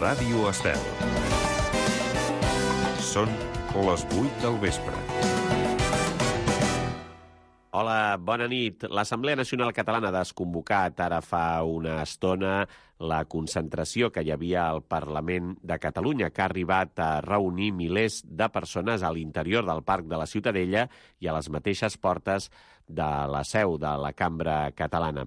Ràdio Estel. Són les 8 del vespre. Hola, bona nit. L'Assemblea Nacional Catalana ha desconvocat ara fa una estona la concentració que hi havia al Parlament de Catalunya, que ha arribat a reunir milers de persones a l'interior del Parc de la Ciutadella i a les mateixes portes de la seu de la Cambra Catalana.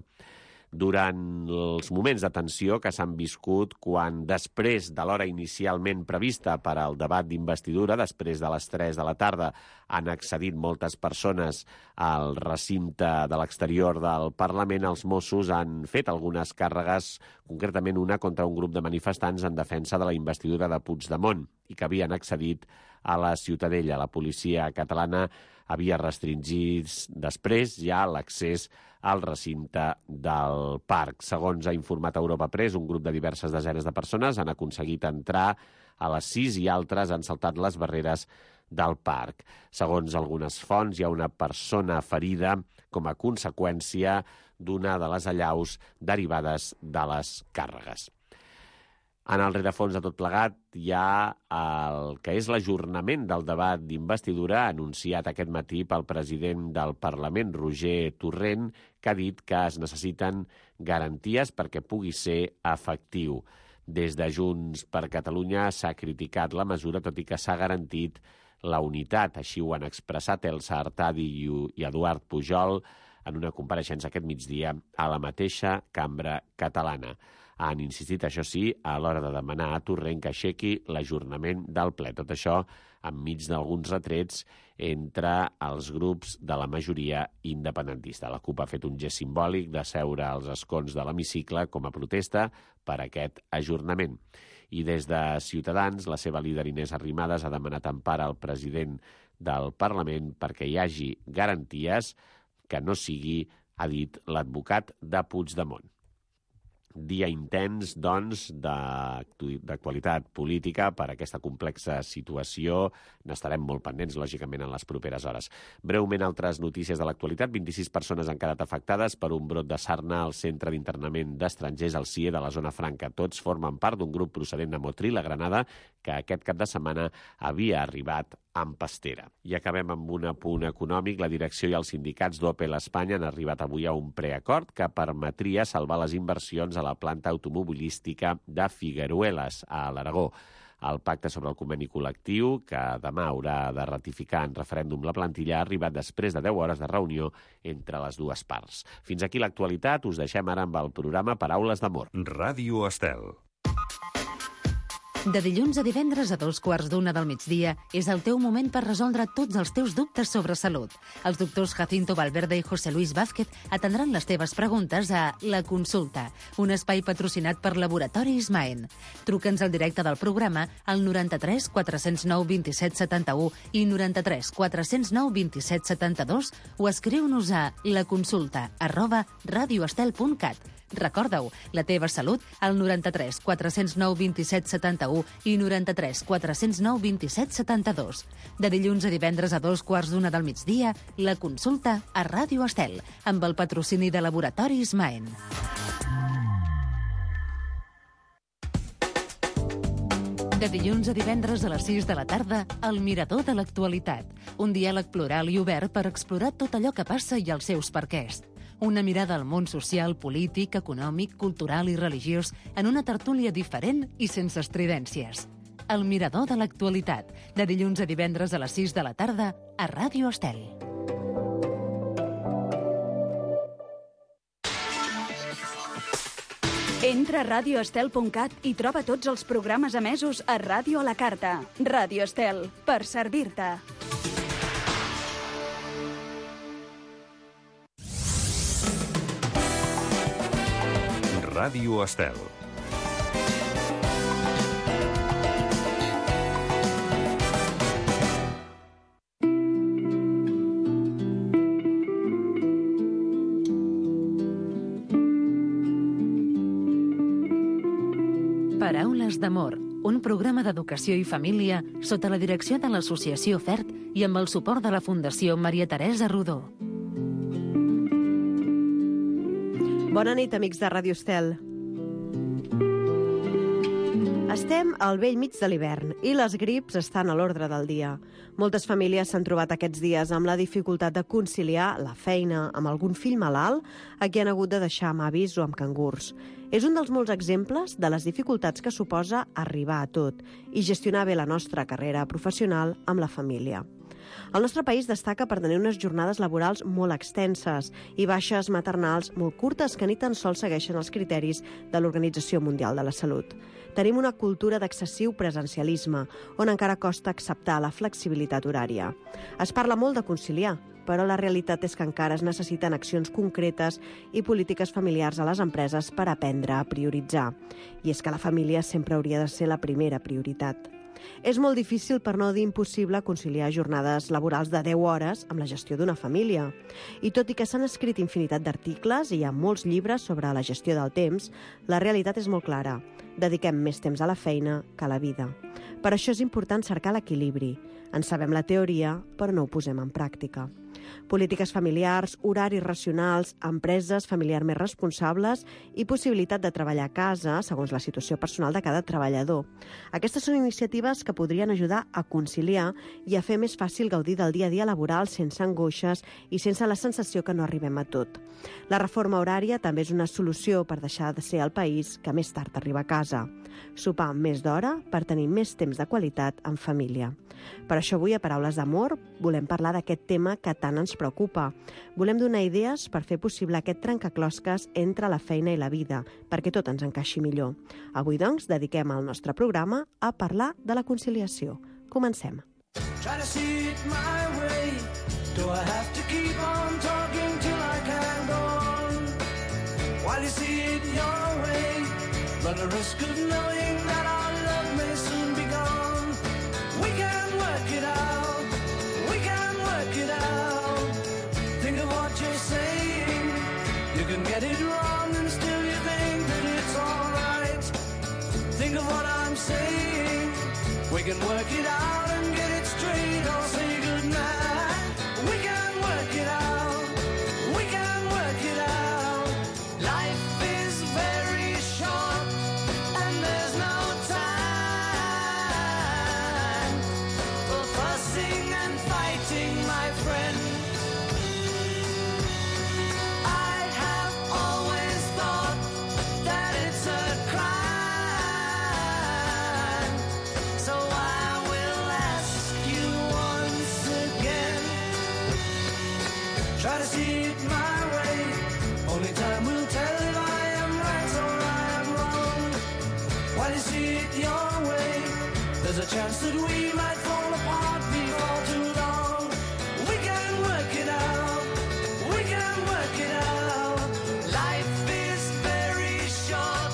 Durant els moments de tensió que s'han viscut quan, després de l'hora inicialment prevista per al debat d'investidura, després de les 3 de la tarda, han accedit moltes persones al recinte de l'exterior del Parlament, els Mossos han fet algunes càrregues, concretament una contra un grup de manifestants en defensa de la investidura de Puigdemont i que havien accedit a la Ciutadella. La policia catalana havia restringit després ja l'accés al recinte del parc. Segons ha informat Europa Press, un grup de diverses desenes de persones han aconseguit entrar a les 6 i altres han saltat les barreres del parc. Segons algunes fonts, hi ha una persona ferida com a conseqüència d'una de les allaus derivades de les càrregues. En el rerefons de tot plegat hi ha el que és l'ajornament del debat d'investidura anunciat aquest matí pel president del Parlament, Roger Torrent, que ha dit que es necessiten garanties perquè pugui ser efectiu. Des de Junts per Catalunya s'ha criticat la mesura, tot i que s'ha garantit la unitat. Així ho han expressat Elsa Artadi i Eduard Pujol en una compareixença aquest migdia a la mateixa Cambra Catalana. Han insistit, això sí, a l'hora de demanar a Torrent que aixequi l'ajornament del ple. Tot això enmig d'alguns retrets entre els grups de la majoria independentista. La CUP ha fet un gest simbòlic de seure als escons de l'hemicicle com a protesta per aquest ajornament. I des de Ciutadans, la seva líder Inés Arrimadas ha demanat empara al president del Parlament perquè hi hagi garanties que no sigui, ha dit l'advocat de Puigdemont. Dia intens, doncs, d'actualitat política per aquesta complexa situació. N'estarem molt pendents, lògicament, en les properes hores. Breument, altres notícies de l'actualitat. 26 persones han quedat afectades per un brot de sarna al centre d'internament d'estrangers al CIE de la Zona Franca. Tots formen part d'un grup procedent de Motril, a Granada, que aquest cap de setmana havia arribat amb pastera. I acabem amb un apunt econòmic. La direcció i els sindicats d'Opel Espanya han arribat avui a un preacord que permetria salvar les inversions a la planta automobilística de Figueruelas, a l'Aragó. El pacte sobre el conveni col·lectiu, que demà haurà de ratificar en referèndum la plantilla, ha arribat després de 10 hores de reunió entre les dues parts. Fins aquí l'actualitat. Us deixem ara amb el programa Paraules d'Amor. Ràdio Estel. De dilluns a divendres a 2:15 del migdia és el teu moment per resoldre tots els teus dubtes sobre salut. Els doctors Jacinto Valverde i José Luis Vázquez atendran les teves preguntes a La Consulta, un espai patrocinat per Laboratoris Maen. Truca'ns al directe del programa al 93 409 27 71 i 93 409 27 72 o escriu-nos a laconsulta@radioestel.cat. Recorda-ho, la teva salut al 93 409 27 71 i 93 409 27 72. De dilluns a divendres a 2:15 del migdia, La Consulta a Ràdio Estel, amb el patrocini de Laboratoris Maen. De dilluns a divendres a les 6 de la tarda, El Mirador de l'Actualitat. Un diàleg plural i obert per explorar tot allò que passa i els seus perquès. Una mirada al món social, polític, econòmic, cultural i religiós en una tertúlia diferent i sense estridències. El Mirador de l'Actualitat, de dilluns a divendres a les 6 de la tarda a Ràdio Estel. Entra a radioestel.cat i troba tots els programes emesos a Ràdio a la Carta. Ràdio Estel, per servir-te. Ràdio Estel. Paraules d'Amor, un programa d'educació i família sota la direcció de l'Associació FERT i amb el suport de la Fundació Maria Teresa Rodó. Bona nit, amics de Ràdio Estel. Estem al bell mig de l'hivern i les grips estan a l'ordre del dia. Moltes famílies s'han trobat aquests dies amb la dificultat de conciliar la feina amb algun fill malalt a qui han hagut de deixar amb avis o amb cangurs. És un dels molts exemples de les dificultats que suposa arribar a tot i gestionar bé la nostra carrera professional amb la família. El nostre país destaca per tenir unes jornades laborals molt extenses i baixes maternals molt curtes que ni tan sols segueixen els criteris de l'Organització Mundial de la Salut. Tenim una cultura d'excessiu presencialisme, on encara costa acceptar la flexibilitat horària. Es parla molt de conciliar, però la realitat és que encara es necessiten accions concretes i polítiques familiars a les empreses per aprendre a prioritzar. I és que la família sempre hauria de ser la primera prioritat. És molt difícil, per no dir impossible, conciliar jornades laborals de 10 hores amb la gestió d'una família. I tot i que s'han escrit infinitat d'articles i hi ha molts llibres sobre la gestió del temps, la realitat és molt clara. Dediquem més temps a la feina que a la vida. Per això és important cercar l'equilibri. En sabem la teoria, però no ho posem en pràctica. Polítiques familiars, horaris racionals, empreses familiars més responsables i possibilitat de treballar a casa segons la situació personal de cada treballador. Aquestes són iniciatives que podrien ajudar a conciliar i a fer més fàcil gaudir del dia a dia laboral sense angoixes i sense la sensació que no arribem a tot. La reforma horària també és una solució per deixar de ser el país que més tard arriba a casa. Sopar més d'hora per tenir més temps de qualitat en família. Per això avui, a Paraules d'Amor, volem parlar d'aquest tema que tant ens preocupa. Volem donar idees per fer possible aquest trencaclosques entre la feina i la vida, perquè tot ens encaixi millor. Avui, doncs, dediquem el nostre programa a parlar de la conciliació. Comencem. Try to see it my way. Do I have to keep on talking till I can go on? While you see it your way, run the risk of knowing that our love may soon be gone. We can work it out. We can work it out. Think of what you're saying. You can get it wrong and still you think that it's all right. Think of what I'm saying. We can work it out and get it straight or say goodnight. We can work it out. We can work it out. Life is very short and there's no time for fussing and fighting, my friend. I have always thought that it's a crime, so I will ask you once again. Try to see it my way. Only time will tell if I am right or I am wrong. While you see it your way, there's a chance that we might fall apart before too long. We can work it out. We can work it out. Life is very short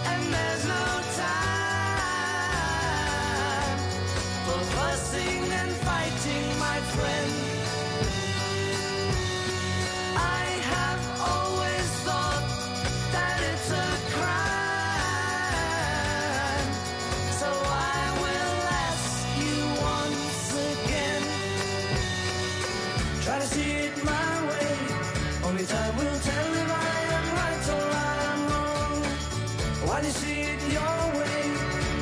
and there's no time for fussing and fighting, my friend. I have always thought that it's a crime, so I will ask you once again. Try to see it my way. Only time will tell if I am right or I am wrong. While you see it your way,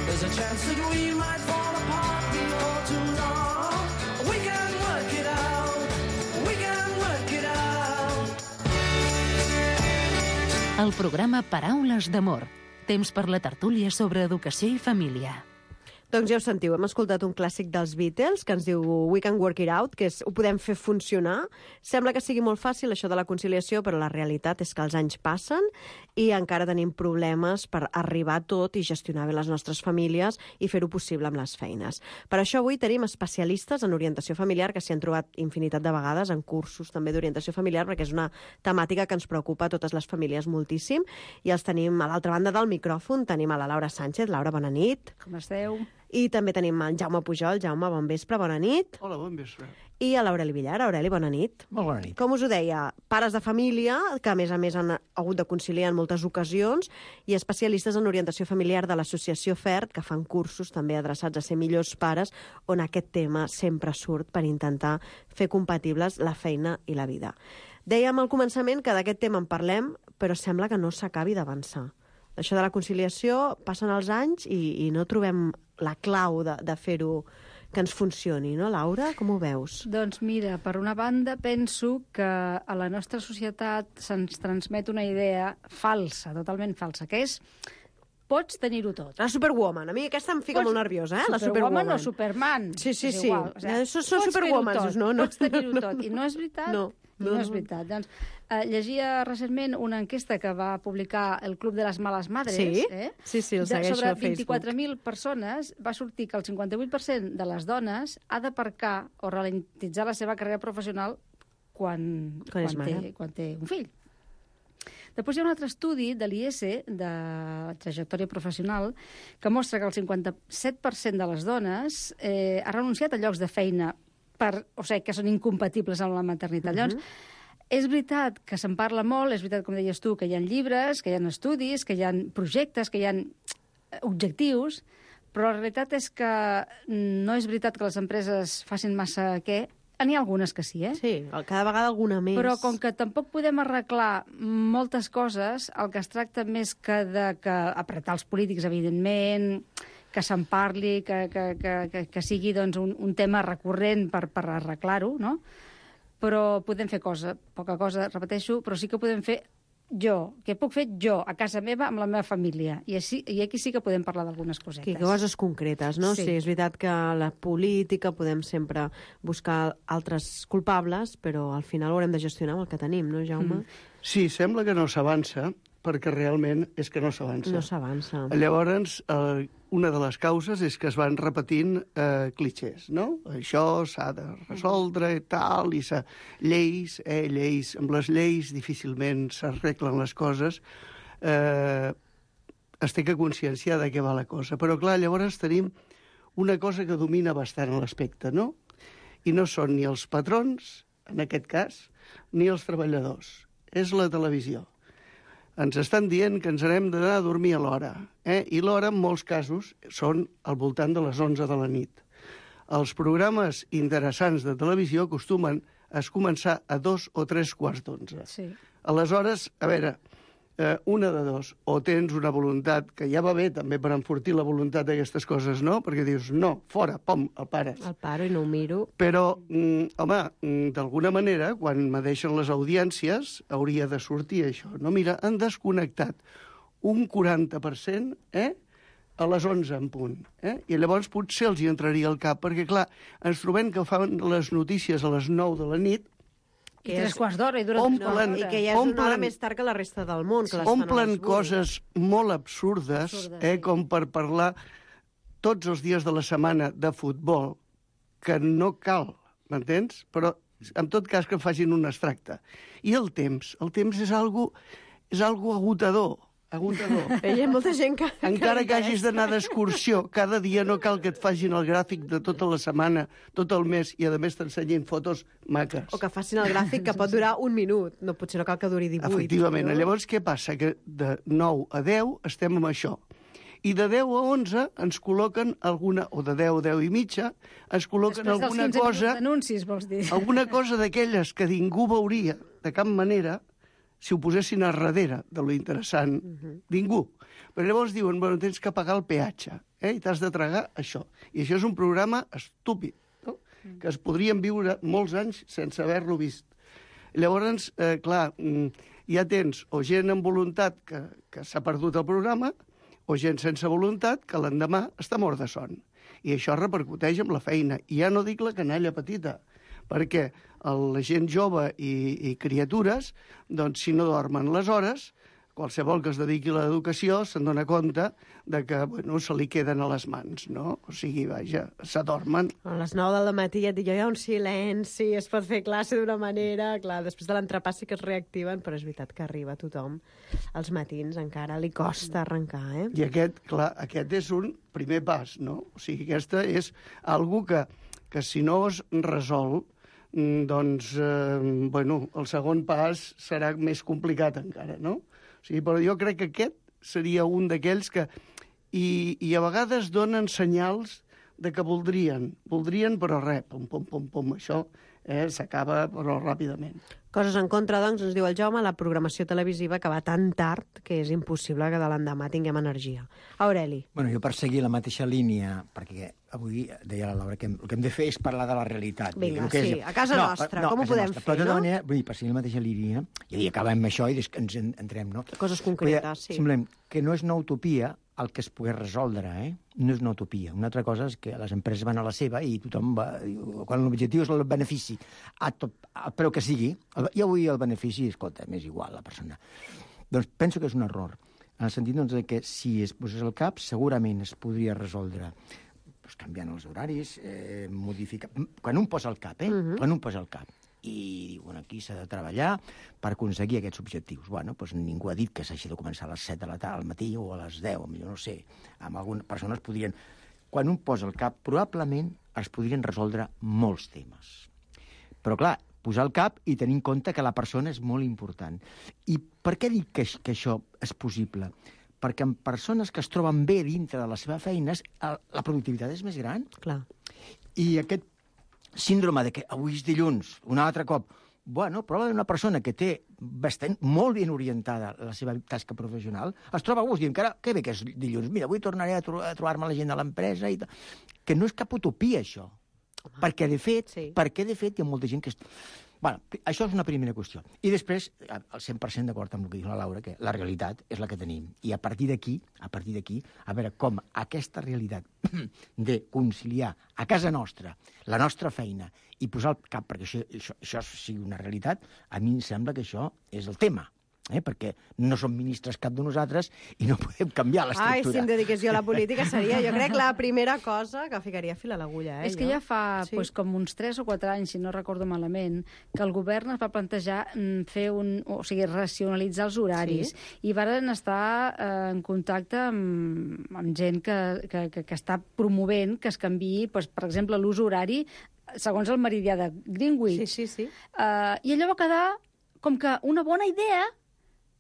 there's a chance that we might fall apart before too long. We can work it out. We can work it out. El programa Paraules d'Amor. Temps per la tertúlia sobre educació i família. Doncs ja ho sentiu, hem escoltat un clàssic dels Beatles que ens diu We Can Work It Out, que és ho podem fer funcionar. Sembla que sigui molt fàcil això de la conciliació, però la realitat és que els anys passen i encara tenim problemes per arribar a tot i gestionar bé les nostres famílies i fer-ho possible amb les feines. Per això avui tenim especialistes en orientació familiar que s'hi han trobat infinitat de vegades en cursos també d'orientació familiar, perquè és una temàtica que ens preocupa a totes les famílies moltíssim. I els tenim a l'altra banda del micròfon, tenim a la Laura Sánchez. Laura, bona nit. Com esteu? I també tenim el Jaume Pujol. Jaume, bon vespre, bona nit. Hola, bon vespre. I a l'Aureli Villar. Aureli, bona nit. Molt bona nit. Com us ho deia, pares de família, que a més han hagut de conciliar en moltes ocasions, i especialistes en orientació familiar de l'associació FERT, que fan cursos també adreçats a ser millors pares, on aquest tema sempre surt per intentar fer compatibles la feina i la vida. Dèiem al començament que d'aquest tema en parlem, però sembla que no s'acabi d'avançar. Això de la conciliació, passen els anys i no trobem la clau de fer-ho que ens funcioni, no, Laura? Com ho veus? Doncs mira, per una banda penso que a la nostra societat se'ns transmet una idea falsa, totalment falsa, que és pots tenir-ho tot. La Superwoman. A mi aquesta em fica molt nerviosa, la Superwoman. O Superman. Sí. És igual. O sigui, són Superwomans, no? Pots tenir-ho tot. I no és veritat. No. No és veritat. Doncs, llegia recentment una enquesta que va publicar el Club de les Males Madres. Sí, el segueixo a Facebook. Sobre 24.000 persones va sortir que el 58% de les dones ha d'aparcar o ralentitzar la seva carrera professional quan té un fill. Després hi ha un altre estudi de l'IS, de trajectòria professional, que mostra que el 57% de les dones ha renunciat a llocs de feina que són incompatibles amb la maternitat. Llavors, és veritat que se'n parla molt, és veritat, com deies tu, que hi ha llibres, que hi ha estudis, que hi ha projectes, que hi ha objectius, però la realitat és que no és veritat que les empreses facin massa què. N'hi ha algunes que sí, Sí, cada vegada alguna més. Però com que tampoc podem arreglar moltes coses, el que es tracta més que apretar els polítics, evidentment, que se'n parli, que sigui doncs, un tema recurrent per arreglar-ho, no? Però podem fer poca cosa, repeteixo, però sí que podem fer què puc fer jo a casa meva amb la meva família. I aquí sí que podem parlar d'algunes cosetes. Que coses concretes, no? Sí. Sí, és veritat que la política podem sempre buscar altres culpables, però al final ho haurem de gestionar amb el que tenim, no, Jaume? Sí, sembla que no s'avança, perquè realment és que no s'avança. No s'avança. Llavors, una de les causes és que es van repetint clichés, no? Això s'ha de resoldre i tal, i lleis, amb les lleis difícilment s'arreglen les coses, es té que conscienciar de què va la cosa. Però, clar, llavors tenim una cosa que domina bastant l'aspecte, no? I no són ni els patrons, en aquest cas, ni els treballadors. És la televisió. Ens estan dient que ens n'hem d'anar a dormir a l'hora. I l'hora, en molts casos, són al voltant de les 11 de la nit. Els programes interessants de televisió acostumen a començar a 2 o 3 quarts d'11. Sí. Aleshores, a veure, una de dos, o tens una voluntat, que ja va bé també per enfortir la voluntat d'aquestes coses, no? Perquè dius, no, fora, pom, el pares. El paro i no ho miro. Però, home, d'alguna manera, quan me deixen les audiències, hauria de sortir això. No, mira, han desconnectat un 40%, a les 11 en punt. I llavors potser els hi entraria al cap, perquè, clar, ens trobem que fan les notícies a les 9 de la nit, I 3 quarts d'hora, i dura 3 quarts d'hora. I que ja és una hora més tard que la resta del món. Que omplen coses molt absurdes, com per parlar tots els dies de la setmana de futbol, que no cal, m'entens? Però, en tot cas, que facin un extracte. I el temps és algo agotador. Hi ha molta gent que... Encara que hagis d'anar d'excursió, cada dia no cal que et facin el gràfic de tota la setmana, tot el mes, i a més t'ensenyin fotos maques. O que facin el gràfic que pot durar un minut. No, potser no cal que duri 18. Efectivament. No? Llavors, què passa? Que de 9 a 10 estem amb això. I de 10 a 11 ens col·loquen alguna, o de 10 a 10 i mitja, ens col·loquen alguna cosa... Anuncis, vols dir? Alguna cosa d'aquelles que ningú veuria de cap manera si ho posessin a darrere de lo interessant. Ningú. Però llavors diuen, bueno, tens que pagar el peatge, i t'has de tragar això. I això és un programa estúpid, no? Que es podrien viure molts anys sense haver-lo vist. Llavors, clar, ja tens o gent amb voluntat que s'ha perdut el programa, o gent sense voluntat que l'endemà està mort de son. I això repercuteix amb la feina. I ja no dic la canalla petita, perquè la gent jove i criatures, doncs, si no dormen les hores, qualsevol que es dediqui a l'educació se'n dona compte de que, bueno, se li queden a les mans, no? O sigui, vaja, s'adormen. A les 9 del matí ja et dic, hi ha un silenci, es pot fer classe d'una manera... Clar, després de l'entrepà sí que es reactiven, però és veritat que arriba tothom. Els matins encara li costa arrencar, I aquest és un primer pas, no? O sigui, aquesta és algo que si no es resol, doncs, bueno, el segon pas serà més complicat encara, no? O sigui, però jo crec que aquest seria un d'aquells que... I a vegades donen senyals de que voldrien, però res, pum, això s'acaba però ràpidament. Coses en contra, doncs, ens diu el Jaume, la programació televisiva que va tan tard que és impossible que de l'endemà tinguem energia. Aureli. Bueno, jo per seguir la mateixa línia, perquè avui deia la Laura que el que hem de fer és parlar de la realitat. Vinga, sí, a casa nostra, com ho podem fer, però de tota no? manera, vull dir, per seguir la mateixa línia, i acabem amb això i ens entrem, no? Coses concretes, sí. Simplement, que no és una utopia el que es pogués resoldre, No és una utopia. Una altra cosa és que les empreses van a la seva i tothom va... Quan l'objectiu és el benefici, a preu que sigui, i avui el benefici, escolta, m'és igual la persona. Doncs penso que és un error, en el sentit doncs, que si es posés al cap, segurament es podria resoldre doncs, canviant els horaris, modificar... Quan un posa el cap, Quan un posa el cap. I diuen, aquí s'ha de treballar per aconseguir aquests objectius. Bueno, doncs ningú ha dit que s'hagi de començar a les 7 de la tarda al matí o a les 10, millor no sé. Amb algunes persones podrien... Quan un posa el cap, probablement es podrien resoldre molts temes. Però, clar, posar el cap i tenir en compte que la persona és molt important. I per què dic que això és possible? Perquè en persones que es troben bé dintre de la seva feina, la productivitat és més gran. Clar. I aquest síndrome de que avui és dilluns, un altre cop, bueno, probablement una persona que té molt ben orientada la seva tasca professional, es troba a gust, i encara, que bé que és dilluns, mira, avui tornaré a trobar-me la gent de l'empresa, i que no és cap utopia, això. Perquè, de fet, hi ha molta gent que... Bueno, això és una primera qüestió. I després, al 100% d'acord amb el que diu la Laura, que la realitat és la que tenim. I a partir d'aquí, a veure com aquesta realitat de conciliar a casa nostra la nostra feina i posar el cap perquè això sigui una realitat, a mi em sembla que això és el tema. Perquè no som ministres cap de nosaltres i no podem canviar l'estructura. Si em dediqués jo a la política seria, jo crec, la primera cosa que ficaria fil a l'agulla. És que ja fa com uns 3 o 4 anys, si no recordo malament, que el govern es va plantejar fer racionalitzar els horaris i varen estar en contacte amb gent que està promovent que es canviï, per exemple, l'ús horari segons el meridià de Greenwich. Sí. I allò va quedar com que una bona idea,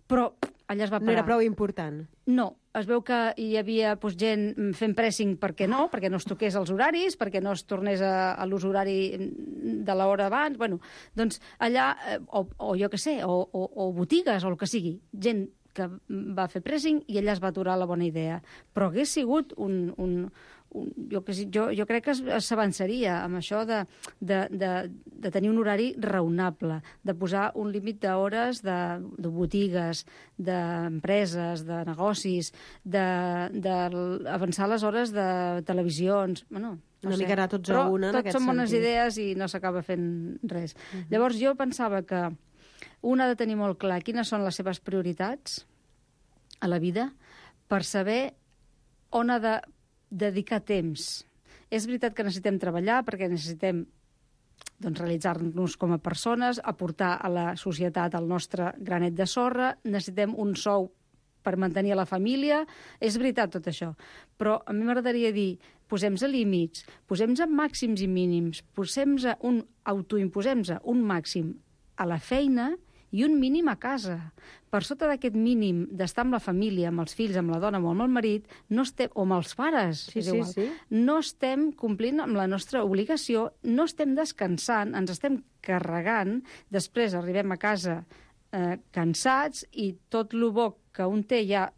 però allà es va parar. No era prou important. No, es veu que hi havia gent fent pressing perquè no es toqués els horaris, perquè no es tornés a l'ús horari de l'hora abans. Bueno, doncs allà, o jo què sé, o botigues, o el que sigui, gent que va fer pressing i allà es va aturar la bona idea. Però hagués sigut jo crec que s'avançaria amb això de tenir un horari raonable, de posar un límit d'hores de botigues, d'empreses, de negocis, d'avançar les hores de televisions. Bueno, una mica anar tots a una, en aquest sentit. Tot són bones idees i no s'acaba fent res. Llavors jo pensava que un ha de tenir molt clar quines són les seves prioritats a la vida per saber on ha de dedicar temps. És veritat que necessitem treballar perquè necessitem realitzar-nos com a persones, aportar a la societat el nostre granet de sorra, necessitem un sou per mantenir la família, és veritat tot això. Però a mi m'agradaria dir, posem-nos límits, posem-nos màxims i mínims, autoimposem-nos un màxim a la feina i un mínim a casa. Per sota d'aquest mínim d'estar amb la família, amb els fills, amb la dona o amb el marit, o amb els pares, no estem complint amb la nostra obligació, no estem descansant, ens estem carregant, després arribem a casa cansats i tot el bo que un té ja,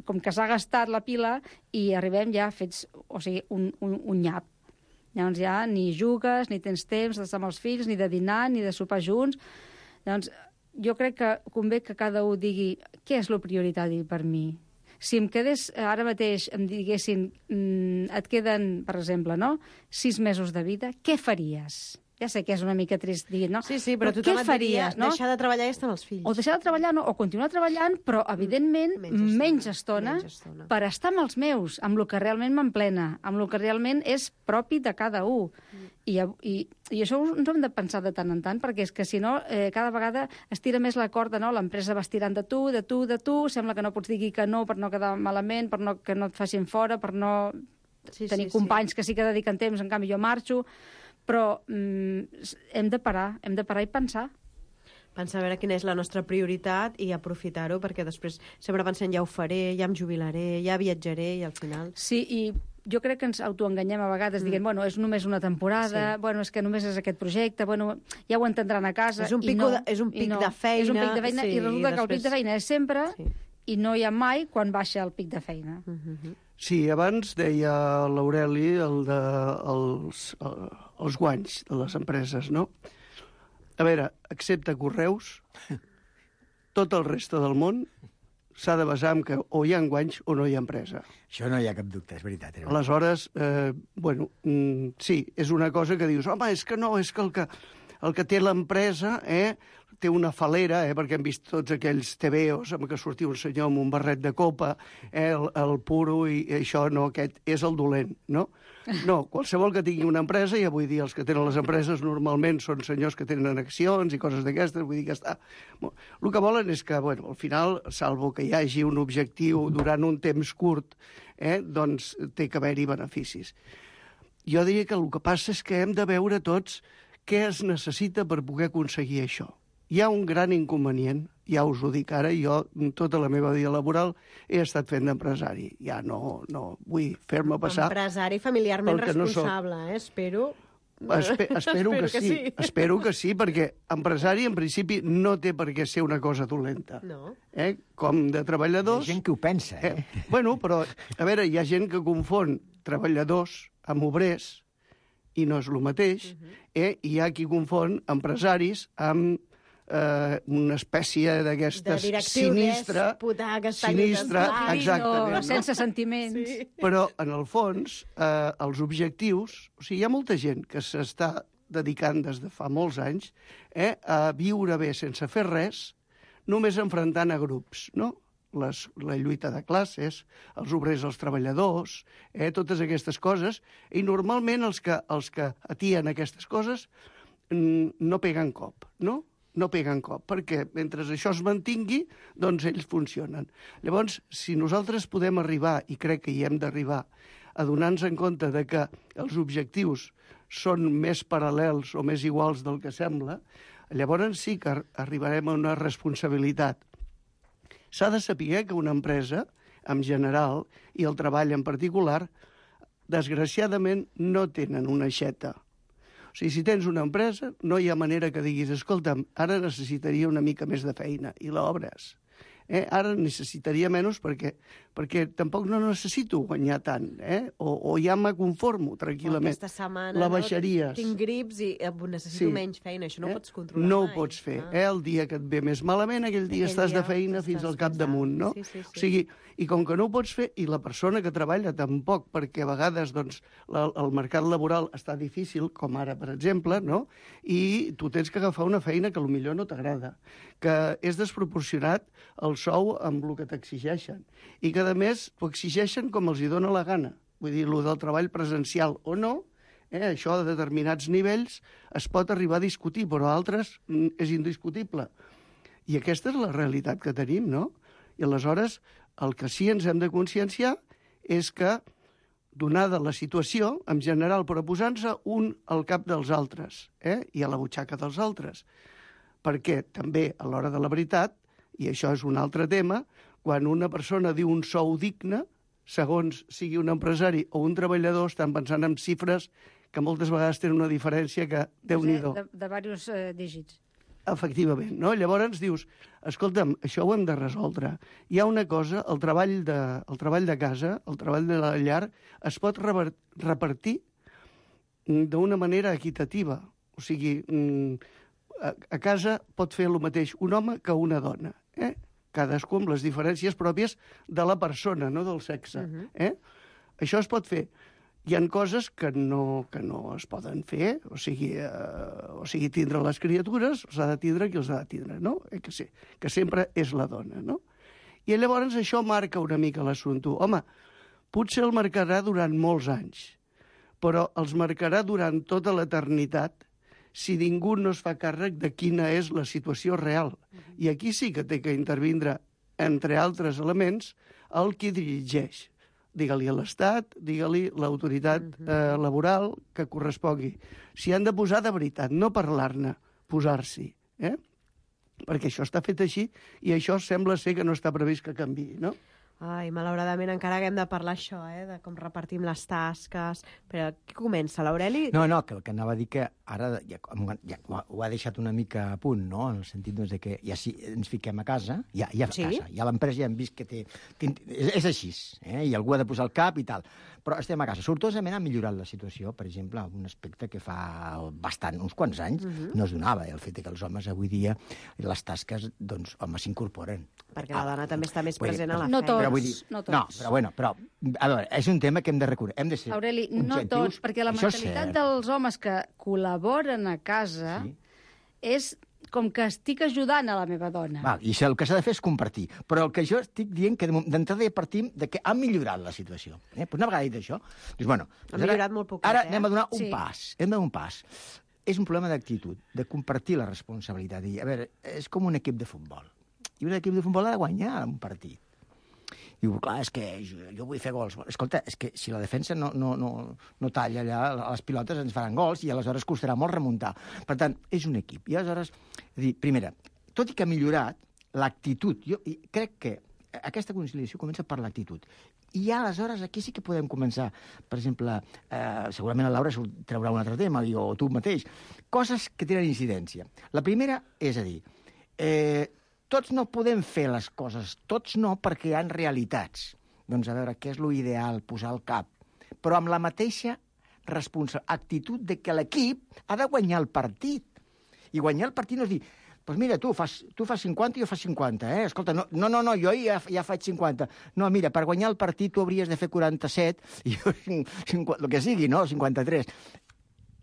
com que s'ha gastat la pila, i arribem ja fets, un nyap. Llavors ja ni jugues, ni tens temps d'estar amb els fills, ni de dinar, ni de sopar junts. Llavors, jo crec que convé que cada un digui què és el prioritari per mi. Si em quedés, ara mateix em diguessin, et queden, per exemple, 6 mesos de vida, què faries? Ja sé que és una mica trist dir, no? Sí, però tothom et diria, deixar de treballar i estar amb els fills. O deixar de treballar, o continuar treballant, però, evidentment, menys estona per estar amb els meus, amb el que realment m'emplena, amb el que realment és propi de cada un. I això ens ho hem de pensar de tant en tant, perquè és que, si no, cada vegada es tira més la corda, no? L'empresa va estirant de tu, sembla que no pots dir que no per no quedar malament, per que no et facin fora, per no tenir companys que sí que dediquen temps, en canvi jo marxo. Però hem de parar i pensar. Pensar a veure quina és la nostra prioritat i aprofitar-ho, perquè després sempre pensem ja ho faré, ja em jubilaré, ja viatjaré, i al final... Sí, i jo crec que ens autoenganyem a vegades dient, bueno, és només una temporada, bueno, és que només és aquest projecte, bueno, ja ho entendran a casa. És un pic de feina. És un pic de feina i resulta que el pic de feina és sempre i no hi ha mai quan baixa el pic de feina. Sí, abans deia l'Aureli els guanys de les empreses, no? A veure, excepte Correus, tot el reste del món s'ha de basar en que o hi ha guanys o no hi ha empresa. Això no hi ha cap dubte, és veritat. Aleshores, sí, és una cosa que dius, home, és que no, és que el que té l'empresa té una falera, perquè hem vist tots aquells tebeos en què sortia un senyor amb un barret de copa, el puro, i això no, aquest és el dolent, no? No, qualsevol que tingui una empresa, i avui dia els que tenen les empreses normalment són senyors que tenen accions i coses d'aquestes, vull dir que està... El que volen és que, al final, salvo que hi hagi un objectiu durant un temps curt, doncs té que haver-hi beneficis. Jo diria que el que passa és que hem de veure tots què es necessita per poder aconseguir això. Hi ha un gran inconvenient, ja us ho dic ara, jo tota la meva vida laboral he estat fent d'empresari. Ja no vull fer-me passar... Empresari familiarment responsable, espero... Espero que sí. Espero que sí, perquè empresari, en principi, no té per què ser una cosa dolenta. No. Com de treballadors... Hi ha gent que ho pensa, Però, a veure, hi ha gent que confon treballadors amb obrers, i no és el mateix, i hi ha qui confon empresaris amb una espècie d'aquestes sinistra, exactament. No, sense sentiments. Sí. Però, en el fons, els objectius... O sigui, hi ha molta gent que s'està dedicant des de fa molts anys a viure bé sense fer res, només enfrontant a grups, no? La lluita de classes, els obrers, els treballadors, totes aquestes coses, i normalment els que atien aquestes coses no peguen cop, no? No peguen cop, perquè mentre això es mantingui, doncs ells funcionen. Llavors, si nosaltres podem arribar, i crec que hi hem d'arribar, a donar-nos en compte de que els objectius són més paral·lels o més iguals del que sembla, llavors sí que arribarem a una responsabilitat. S'ha de saber que una empresa, en general, i el treball en particular, desgraciadament no tenen una aixeta. O sigui, si tens una empresa, no hi ha manera que diguis, escolta'm, ara necessitaria una mica més de feina, i l'obres. Ara necessitaria menys perquè tampoc no necessito guanyar tant, o ja me conformo tranquil·lament. Aquesta setmana la baixaries. Tinc grips i necessito menys feina, això no ho pots controlar no mai. No ho pots fer. El dia que et ve més malament, aquell dia estàs de feina fins al capdamunt, no? Sí. O sigui, i com que no ho pots fer, i la persona que treballa tampoc, perquè a vegades doncs, el mercat laboral està difícil, com ara, per exemple, no? I tu tens que agafar una feina que potser no t'agrada, que és desproporcionat el sou amb el que t'exigeixen, i que, a més, ho exigeixen com els hi dóna la gana. Vull dir, el del treball presencial o no, això de determinats nivells es pot arribar a discutir, però a altres és indiscutible. I aquesta és la realitat que tenim, no? I aleshores, el que sí ens hem de conscienciar és que, donada la situació, en general, però posant-se un al cap dels altres, i a la butxaca dels altres, perquè també, a l'hora de la veritat, i això és un altre tema, quan una persona diu un sou digne, segons sigui un empresari o un treballador, estan pensant en xifres que moltes vegades tenen una diferència que, Déu-n'hi-do. De diversos dígits. Efectivament, no? Llavors dius, escolta'm, això ho hem de resoldre. Hi ha una cosa, el treball de casa, el treball de la llar, es pot repartir d'una manera equitativa. O sigui, a casa pot fer el mateix un home que una dona, cadascú amb les diferències pròpies de la persona, no del sexe. Això es pot fer. Hi ha coses que no es poden fer, o sigui tindre les criatures, els ha de tindre qui els ha de tindre, no? Que sempre és la dona, no? I llavors això marca una mica l'assumpte. Home, potser el marcarà durant molts anys, però els marcarà durant tota l'eternitat si ningú no es fa càrrec de quina és la situació real. I aquí sí que té que intervindre, entre altres elements, el qui dirigeix. Digue-li a l'Estat, digue-li l'autoritat laboral que correspongui. S'hi han de posar de veritat, no parlar-ne, posar-s'hi. Perquè això està fet així i això sembla ser que no està previst que canviï, no? Ai, malauradament encara haguem de parlar això, de com repartim les tasques. Però qui comença, l'Aureli? No, que el que anava a dir que ara ja ho ha deixat una mica a punt, no? En el sentit de que ja si ens fiquem a casa, ja a casa, ja l'empresa ja hem vist que té... És així, i algú ha de posar el cap i tal. Però estem a casa. Sortosament ha millorat la situació, per exemple, un aspecte que fa uns quants anys no es donava, el fet que els homes avui dia, les tasques, doncs, home, s'incorporen. Perquè la dona també està més present a la feina. No tots. Però, a veure, és un tema que hem de recordar. Hem de ser Aureli, no tots, perquè la mentalitat dels homes que col·laboren a casa és com que estic ajudant a la meva dona. Val, i el que s'ha de fer és compartir. Però el que jo estic dient que d'entrada ja partim de que ha millorat la situació. Pues una vegada dit això, doncs, bueno, ha millorat molt poquet, ara anem a donar un pas. Hem de donar un pas. És un problema d'actitud, de compartir la responsabilitat. A veure, és com un equip de futbol. I un equip de futbol ha de guanyar un partit. Diu, clar, és que jo vull fer gols. Escolta, és que si la defensa no talla allà, les pilotes ens faran gols i aleshores costarà molt remuntar. Per tant, és un equip. I aleshores, primera, tot i que ha millorat l'actitud, jo crec que aquesta conciliació comença per l'actitud. I aleshores aquí sí que podem començar. Per exemple, segurament la Laura traurà un altre tema, o tu mateix. Coses que tenen incidència. La primera és a dir, tots no podem fer les coses, tots no, perquè hi ha realitats. Doncs a veure, què és l'ideal? Posar el cap. Però amb la mateixa actitud de que l'equip ha de guanyar el partit. I guanyar el partit no és dir, doncs mira, tu fas 50 i jo fas 50, Escolta, no, jo ja faig 50. No, mira, per guanyar el partit tu hauries de fer 47 i jo 50, el que sigui, no? 53.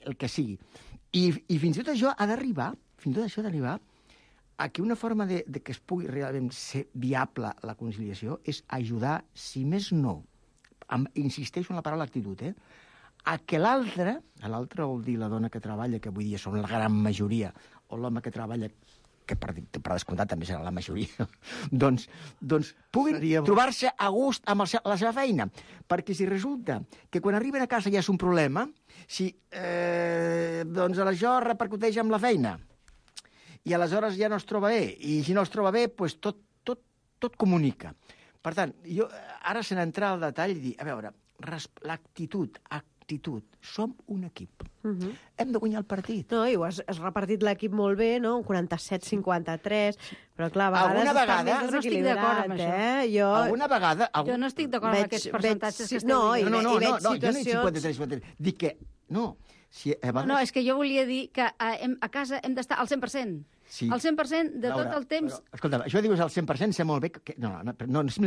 El que sigui. I fins i tot això ha d'arribar, a que una forma de que es pugui realment ser viable la conciliació és ajudar, si més no, insisteixo en la paraula actitud, a que l'altre vol dir la dona que treballa, que avui dia són la gran majoria, o l'home que treballa, que per descomptat també serà la majoria, doncs puguin trobar-se a gust amb la seva feina. Perquè si resulta que quan arriben a casa ja és un problema, doncs això repercuteix amb la feina, i aleshores ja no es troba bé, i si no es troba bé, doncs tot comunica. Per tant, jo ara se n'entrar al detall i dir, a veure, l'actitud, som un equip. Hem de guanyar el partit. No, i has repartit l'equip molt bé, no? Un 47-53, però clar, a vegades no estic d'acord amb això. Alguna vegada... Jo no estic d'acord amb aquests percentatges que estem dient. No, jo no he dit 53-53. Dic que... No, és que jo volia dir que a casa hem d'estar al 100%. Sí. El 100% de tot el temps... Escolta, això dius al 100%, sé molt bé que... No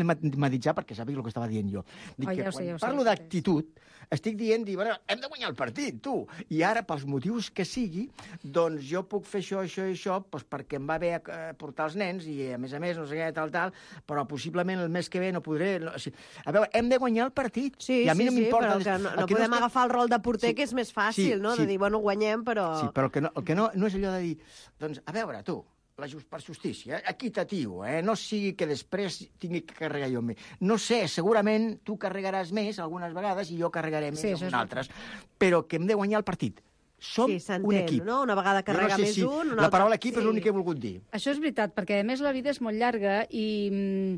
matematitzar perquè sàpiga el que estava dient jo. Dic que quan parlo d'actitud, estic dient, hem de guanyar el partit, tu. I ara, pels motius que sigui, doncs jo puc fer això i això, perquè em va bé portar els nens i, a més, no sé què, tal, però possiblement el mes que ve no podré... A veure, hem de guanyar el partit. Sí, i a mi no m'importa... però no podem agafar el rol de porter, que és més fàcil, no? De dir, guanyem, però... Sí, però el que no és allò de dir... Doncs, a veure, tu, per justícia, equitatiu, no sigui que després tingui que carregar jo més. No sé, segurament tu carregaràs més algunes vegades i jo carregaré més algunes altres, però que hem de guanyar el partit. Som un equip. No? Una vegada carrega més un... La paraula equip és l'únic que he volgut dir. Això és veritat, perquè a més la vida és molt llarga i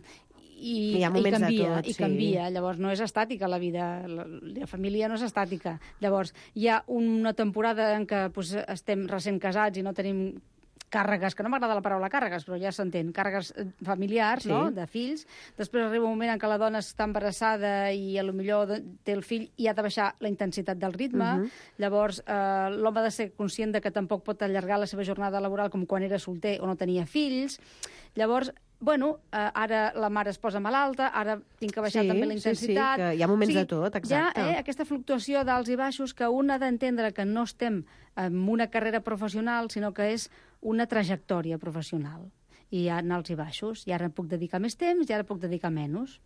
canvia. Llavors, no és estàtica la vida. La família no és estàtica. Llavors, hi ha una temporada en què estem recent casats i no tenim càrregues, que no m'agrada la paraula càrregues, però ja s'entén, càrregues familiars, no?, de fills. Després arriba un moment en què la dona està embarassada i potser té el fill i ha de baixar la intensitat del ritme. Llavors, l'home ha de ser conscient de que tampoc pot allargar la seva jornada laboral com quan era solter o no tenia fills. Llavors, ara la mare es posa malalta, ara tinc que baixar també la intensitat. Sí, que hi ha moments de tot, exacte. Hi ha aquesta fluctuació d'alts i baixos que un ha d'entendre que no estem en una carrera professional, sinó que és una trajectòria professional. I hi ha alts i baixos, i ara puc dedicar més temps i ara puc dedicar menys.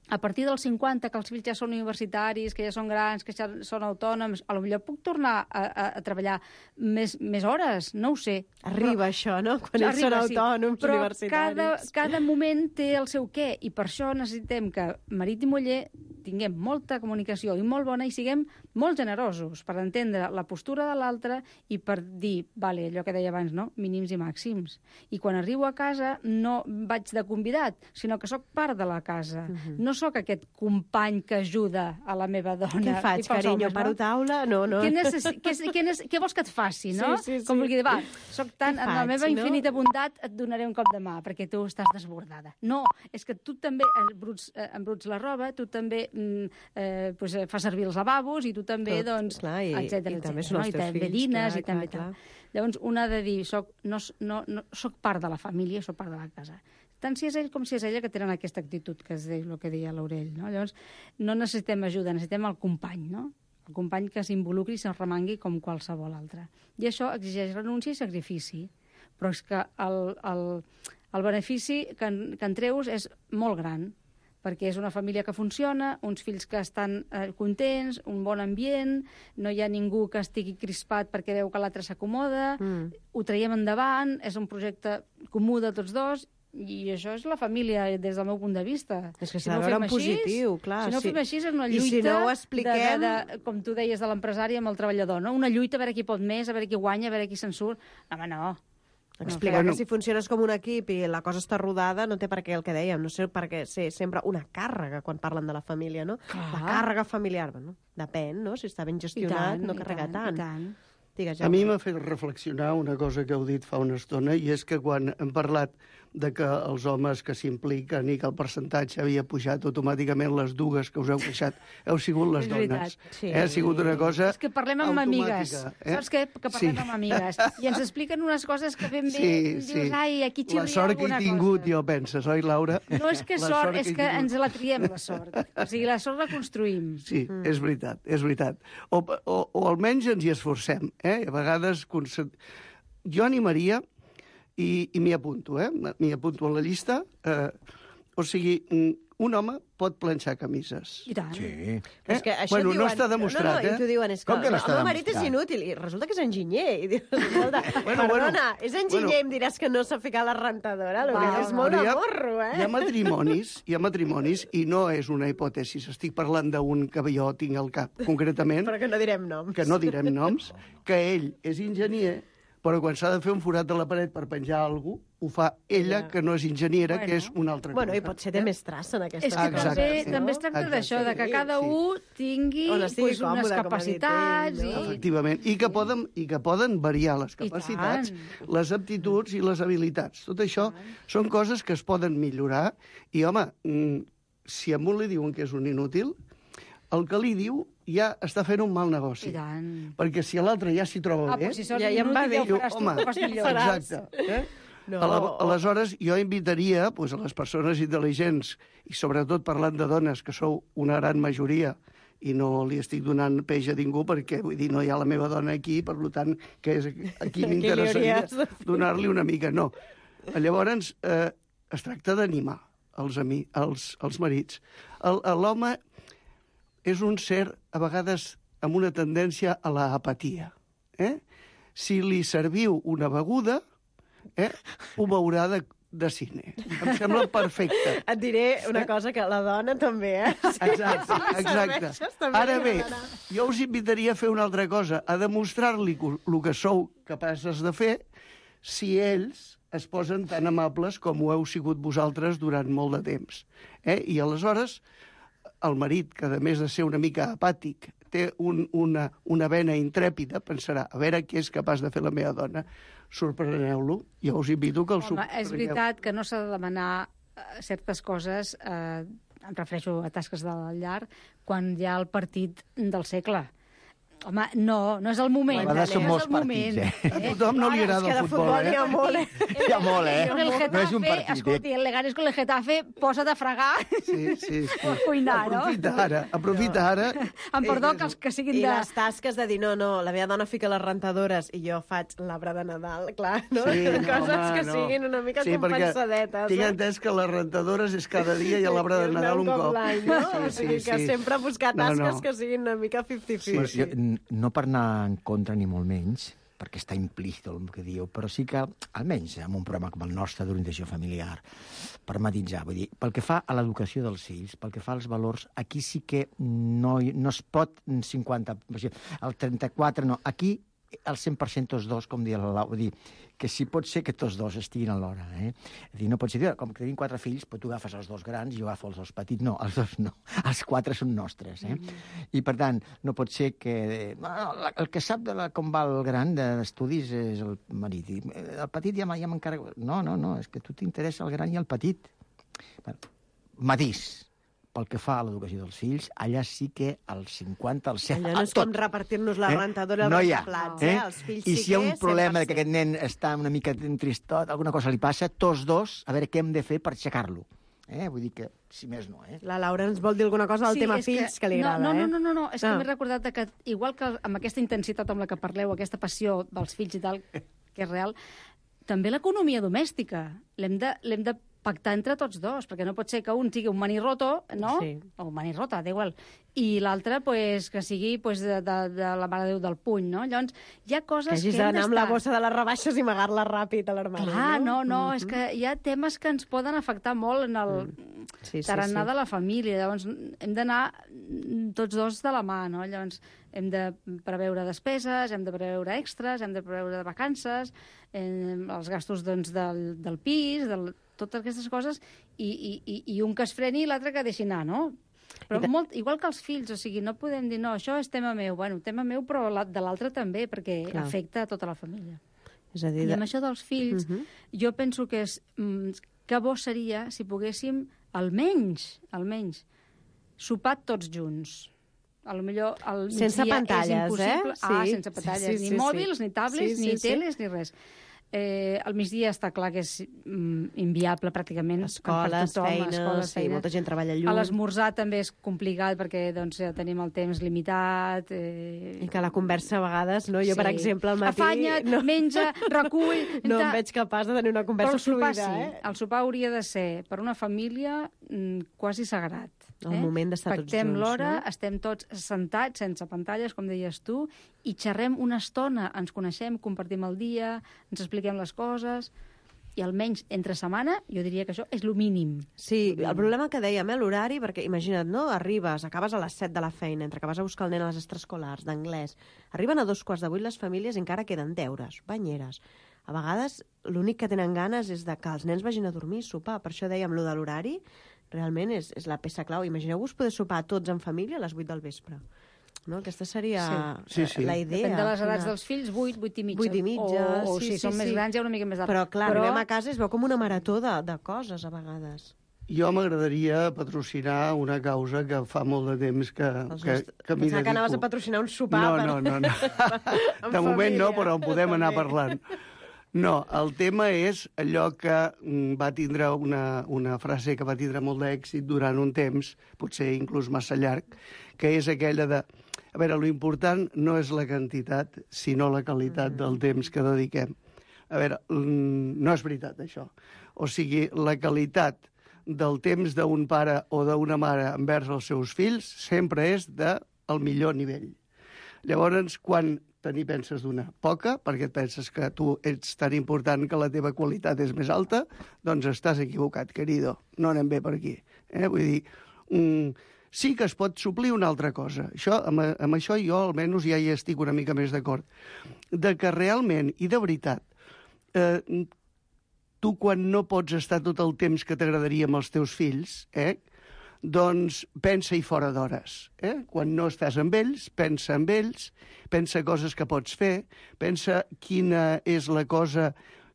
A partir dels 50, que els fills ja són universitaris, que ja són grans, que ja són autònoms, potser puc tornar a treballar més hores, no ho sé. Arriba això, no?, quan ells són autònoms, universitaris. Però cada moment té el seu què, i per això necessitem que marit i muller tinguem molta comunicació i molt bona i siguem molt generosos per entendre la postura de l'altre i per dir, vale, allò que deia abans, no? Mínims i màxims. I quan arribo a casa no vaig de convidat, sinó que sóc part de la casa. No sóc aquest company que ajuda a la meva dona. Què faig, carinyo? Paro taula? No. Què vols que et faci, no? Sí. Com vulgui dir, va, soc tan... En la meva infinita bondat et donaré un cop de mà, perquè tu estàs desbordada. No, és que tu també embruts la roba, tu també fas servir els lavabos i tu també, doncs, etcètera. I també són els teus fills, dines, i també tal. Llavors, un ha de dir, soc part de la família, soc part de la casa. Tant si és ell com si és ella que tenen aquesta actitud que és el que deia l'Aurell, no? Llavors, no necessitem ajuda, necessitem el company, no? El company que s'involucri i se'n remangui com qualsevol altre. I això exigeix renúncia i sacrifici. Però és que el benefici que en treus és molt gran, perquè és una família que funciona, uns fills que estan contents, un bon ambient, no hi ha ningú que estigui crispat perquè veu que l'altre s'acomoda, ho traiem endavant, és un projecte comú de tots dos, i això és la família des del meu punt de vista. És que s'ha de veure en positiu, clar. Si no ho fem així, és una lluita, com tu deies, de l'empresari amb el treballador, no? Una lluita a veure qui pot més, a veure qui guanya, a veure qui se'n surt. Home, no. Explicar que si funciones com un equip i la cosa està rodada, no té per què el que dèiem, no sé per què ser sempre una càrrega quan parlen de la família, no? La càrrega familiar, no? Depèn, no? Si està ben gestionat, no carrega tant. Digues, a mi m'ha fet reflexionar una cosa que heu dit fa una estona, i és que quan hem parlat de que els homes que s'impliquen i que el percentatge havia pujat automàticament, les dues que us heu queixat heu sigut les dones. Sí. Ha sigut una cosa és que parlem amb amigues. Saps què? Que parlem amb amigues. I ens expliquen unes coses que ben bé dius, ai, aquí xirria alguna cosa. La sort que he tingut, jo penses, oi, Laura? No és que sort, és que ens la triem, la sort. O sigui, la sort la construïm. Sí, és veritat, és veritat. O almenys ens hi esforcem, A vegades... Jo animaria, i m'hi apunto, m'hi apunto a la llista, o sigui, un home pot planxar camises. I tant. Sí. És que això bueno, diuen, no està demostrat, I t'ho diuen, és que, com que no està el meu marit és demostrat? inútil, i resulta que és enginyer. I dius, escolta, perdona, és enginyer i em diràs que no sap ficar la rentadora, és molt de morro, Hi ha matrimonis, i no és una hipòtesi, estic parlant d'un que jo tinc al cap, concretament, però que no direm noms. que no direm noms, que ell és enginyer, però quan s'ha de fer un forat de la paret per penjar alguna cosa, ho fa ella, que no és enginyera, que és una altra cosa. Bueno, i potser té més traça en aquesta cosa. És que també es tracta d'això, de que cada un tingui unes capacitats. Efectivament, i que poden variar les capacitats, les aptituds i les habilitats. Tot això són coses que es poden millorar, i, home, si a un li diuen que és un inútil, el que li diu ja està fent un mal negoci. Perquè si l'altre ja s'hi troba bé... Si sort inútil, ja ho faràs tu, ho fas millor. Exacte. Aleshores, jo invitaria a les persones intel·ligents, i sobretot parlant de dones, que sou una gran majoria, i no li estic donant peix a ningú, perquè, vull dir, no hi ha la meva dona aquí, per tant, que és aquí m'interessaria donar-li una mica. No. Llavors, es tracta d'animar els marits. L'home és un ser, a vegades, amb una tendència a l'apatia. Si li serviu una beguda, ho veurà de cine. Em sembla perfecte. Et diré una cosa, que la dona també, Exacte. Ara bé, jo us invitaria a fer una altra cosa, a demostrar-li el que sou capaces de fer si ells es posen tan amables com ho heu sigut vosaltres durant molt de temps. I aleshores, el marit, que a més de ser una mica apàtic, té una vena intrèpida, pensarà, a veure què és capaç de fer la meva dona. Sorpreneu-lo. Jo us invito que el sorpreneu. Home, és veritat que no s'ha de demanar certes coses, em refereixo a tasques de la llar, quan hi ha el partit del segle. Home, no és el moment. A vegades són molts partits, A tothom no li agrada el futbol, N'hi ha molt, Hi ha molt, No és un partit. Escolti, el Leganés con el Getafe, posa't a fregar o a cuinar, no? Aprofita ara. Amb perdó que els que siguin de... I les tasques de dir, no, la meva dona fica les rentadores i jo faig l'arbre de Nadal, clar, no? Coses que siguin una mica compensadetes. Tinc entès que les rentadores és cada dia i l'arbre de Nadal un cop. O sigui que sempre buscar tasques que siguin una mica 50-50. No per anar en contra ni molt menys, perquè està implícit el que diu, però sí que, almenys en un programa com el nostre d'orientació familiar, per matisar, vull dir, pel que fa a l'educació dels fills, pel que fa als valors, aquí sí que no es pot 50, el 34 no, aquí el 100% tots dos, com dia la Lau, vull dir, que si pot ser que tots dos estiguin alhora, eh? És dir, no pot ser, com que tenim 4 fills, però tu agafes els 2 grans i jo agafo els 2 petits. No, els 2 no. Els 4 són nostres, eh? I, per tant, no pot ser que... el que sap com va el gran d'estudis és el marit. I el petit ja m'encarrego... No, és que a tu t'interessa el gran i el petit. Bueno, matís. Pel que fa a l'educació dels fills, allà sí que el 50, el 100... Allà no és com repartir-nos la rentadora i els plats, Els fills I si hi ha un problema que aquest nen està una mica tristot, alguna cosa li passa, tots dos, a veure què hem de fer per aixecar-lo. Vull dir que, si més no, La Laura ens vol dir alguna cosa del tema fills que li agrada, No, és que m'he recordat que, igual que amb aquesta intensitat amb la que parleu, aquesta passió dels fills i tal, que és real, també l'economia domèstica. L'hem de pactar entre tots dos, perquè no pot ser que un sigui un manirroto, no? Sí. O manirrota, d'igual. I l'altre, pues, que sigui pues, de la Mare de Déu del puny, no? Llavors, hi ha coses que hagis d'anar amb la bossa de les rebaixes i amagar-la ràpid a l'armari. Clar, no, és que hi ha temes que ens poden afectar molt en el tarannà de la família. Llavors, hem d'anar tots dos de la mà, no? Llavors, hem de preveure despeses, hem de preveure extras, hem de preveure vacances, els gastos doncs, del pis, totes aquestes coses, i un que es freni i l'altre que deixi anar, no? Però igual que els fills, o sigui, no podem dir, no, això és tema meu. Bueno, tema meu, però de l'altre també, perquè afecta a tota la família. És a dir, I amb això dels fills, jo penso que que bo seria si poguéssim, almenys, sopar tots junts. A lo millor al migdia sense pantalles, és impossible. Sense pantalles, ni mòbils, ni tablets, ni teles, ni res. Al migdia està clar que és inviable pràcticament. Escoles, feines, molta gent treballa lluny. A l'esmorzar també és complicat perquè doncs, ja tenim el temps limitat. I que la conversa a vegades, no? Jo, per exemple, al matí... Afanya't, menja, recull... No em veig capaç de tenir una conversa fluida. El sopar hauria de ser, per una família, quasi sagrat. El moment d'estar tots junts. Pactem l'hora, estem tots sentats, sense pantalles, com deies tu, i xerrem una estona, ens coneixem, compartim el dia, ens expliquem les coses, i almenys entre setmana, jo diria que això és el mínim. Sí, el problema que dèiem, l'horari, perquè imagina't, no? Arribes, acabes a les 7 de la feina, entre que vas a buscar el nen a les extraescolars, d'anglès, arriben a 7:45 les famílies i encara queden deures, banyeres. A vegades l'únic que tenen ganes és de que els nens vagin a dormir i sopar. Per això dèiem, lo de l'horari realment és la peça clau. Imagineu-vos poder sopar tots en família a les 8 del vespre. No? Aquesta seria la idea. Depèn de les edats dels fills, 8, 8 i mitja. 8 i mitja, o si són més grans, hi ha una mica més d'edat. Però clar, arribem a casa i es veu com una marató de coses, a vegades. Jo m'agradaria patrocinar una causa que fa molt de temps que m'hi dedico. Pensava que anaves a patrocinar un sopar. No. De moment no, però en podem anar parlant. No, el tema és allò que va tindre una frase que va tindre molt d'èxit durant un temps, potser inclús massa llarg, que és aquella de... A veure, lo important no és la quantitat, sinó la qualitat del temps que dediquem. A veure, no és veritat, això. O sigui, la qualitat del temps d'un pare o d'una mare envers els seus fills sempre és del millor nivell. Llavors, quan n'hi penses d'una poca, perquè et penses que tu ets tan important que la teva qualitat és més alta, doncs estàs equivocat, querido. No anem bé per aquí. Vull dir, sí que es pot suplir una altra cosa. Amb això jo almenys ja hi estic una mica més d'acord. De que realment, i de veritat, tu quan no pots estar tot el temps que t'agradaria amb els teus fills, doncs pensa-hi fora d'hores. Quan no estàs amb ells, pensa coses que pots fer, pensa quina és la cosa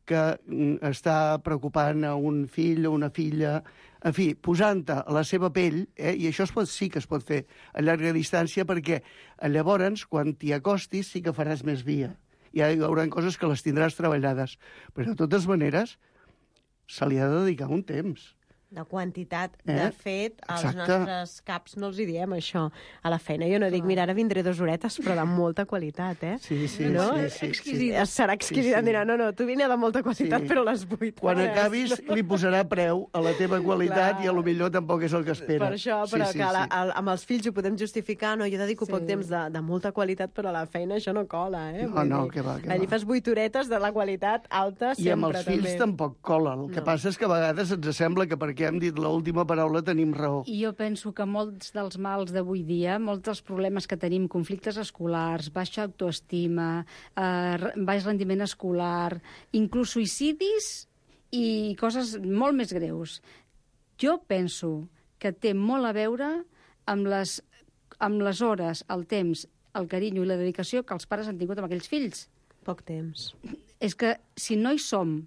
que està preocupant a un fill o una filla, en fi, posant-te a la seva pell, i això sí que es pot fer a llarga distància, perquè llavors, quan t'hi acostis, sí que faràs més via. Hi haurà coses que les tindràs treballades, però de totes maneres se li ha de dedicar un temps. de quantitat. De fet, als nostres caps no els hi diem això a la feina. Jo no dic, mira, ara vindré 2 horetes, però de molta qualitat, eh? Sí. Exquisida. Serà exquisida. Dirà, no, tu vine de molta qualitat, però les 8 Quan acabis, li posarà preu a la teva qualitat i a lo millor tampoc és el que espera. Per això, però que amb els fills ho podem justificar. No, jo dedico poc temps de molta qualitat, però a la feina això no cola, eh? No, que va. Allí fas 8 horetes de la qualitat alta sempre. I amb els fills tampoc cola. El que passa és que a vegades ens sembla que perquè hem dit l'última paraula tenim raó. I jo penso que molts dels mals d'avui dia, molts dels problemes que tenim, conflictes escolars, baixa autoestima, baix rendiment escolar, inclús suïcidis i coses molt més greus. Jo penso que té molt a veure amb les hores, el temps, el carinyo i la dedicació que els pares han tingut amb aquells fills. Poc temps. És que si no hi som,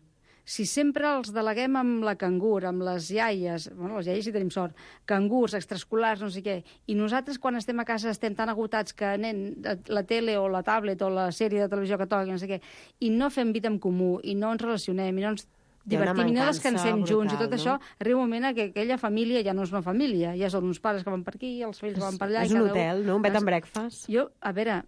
si sempre els deleguem amb la cangur, amb les iaies, bueno, les iaies sí tenim sort, cangurs, extraescolars, no sé què, i nosaltres quan estem a casa estem tan agotats que anem la tele o la tablet o la sèrie de televisió que toqui, no sé què, i no fem vida en comú, i no ens relacionem, i no ens divertim, i no descansem junts, i tot això, arriba un moment que aquella família ja no és una família, ja són uns pares que van per aquí, els fills que van per allà... És un hotel, no? Un bed and breakfast. A veure,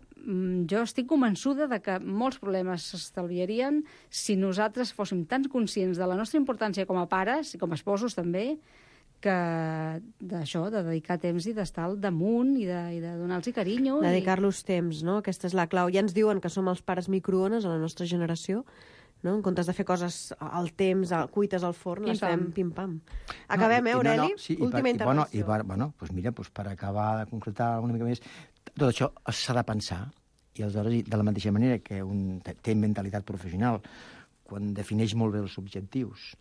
jo estic convençuda de que molts problemes s'estalviarien si nosaltres fóssim tan conscients de la nostra importància com a pares i com a esposos també, que d'això, de dedicar temps i d'estar al damunt i de donar-los carinyo. Dedicar-los temps, no? Aquesta és la clau. Ja ens diuen que som els pares microones a la nostra generació, no? En comptes de fer coses al temps, cuites al forn, les fem pim-pam. Acabem, Aureli? Última intervenció. Bueno, doncs mira, per acabar de concretar una mica més, tot això s'ha de pensar, i aleshores, de la mateixa manera que un té mentalitat professional, quan defineix molt bé els objectius,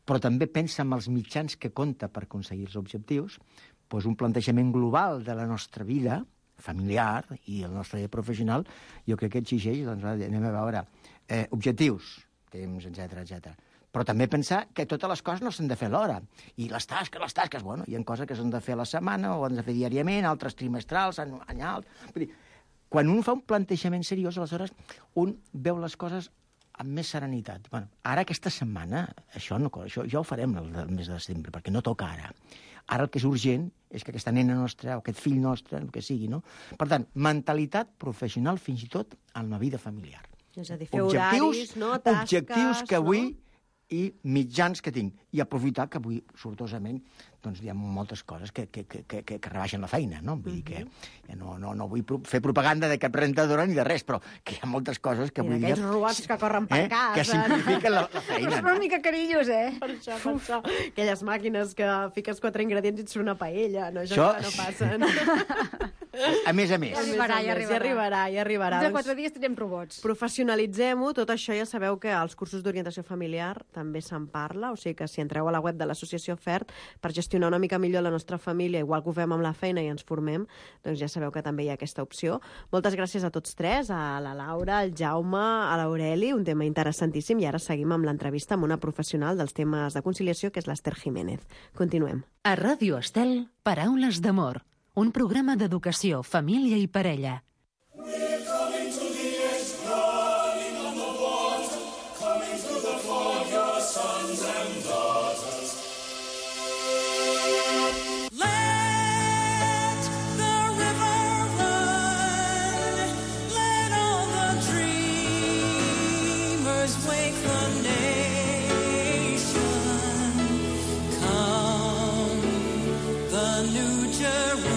però també pensa en els mitjans que compta per aconseguir els objectius, doncs un plantejament global de la nostra vida familiar i el nostre vida professional, jo crec que exigeix, doncs, anem a veure, objectius, temps, etc. Però també pensar que totes les coses no s'han de fer alhora. I les tasques, bueno, hi ha coses que s'han de fer a la setmana o han de fer diàriament, altres trimestrals, anyals... Vull dir, quan un fa un plantejament seriós, aleshores un veu les coses amb més serenitat. Bueno, ara aquesta setmana, això ja ho farem el mes de setembre, perquè no toca ara. Ara el que és urgent és que aquesta nena nostra, o aquest fill nostre, el que sigui, no? Per tant, mentalitat professional fins i tot en la vida familiar. És a dir, fer horaris, no? Tasques, objectius que avui i mitjans que tinc. I aprofitar que avui, sortosament, doncs hi ha moltes coses que rebaixen la feina, no? Vull dir que ja no vull fer propaganda de cap rentadora ni de res, però que hi ha moltes coses que avui dia... Aquells robots que corren per casa... Que simplifiquen la feina. És una mica carinyo, Per això. Aquelles màquines que fiques 4 ingredients i et surt una paella, no? Això no passa. A més. Ja arribarà. De 4 dies tindrem robots. Professionalitzem-ho, tot això ja sabeu que als cursos d'orientació familiar també se'n parla, o sigui que si entreu a la web de l'associació FERT per gestionar una mica millor la nostra família, igual que ho fem amb la feina i ens formem, doncs ja sabeu que també hi ha aquesta opció. Moltes gràcies a tots tres, a la Laura, al Jaume, a l'Aureli, un tema interessantíssim, i ara seguim amb l'entrevista amb una professional dels temes de conciliació, que és l'Ester Jiménez. Continuem. A Ràdio Estel, Paraules d'amor, un programa d'educació, família i parella. New Jerusalem.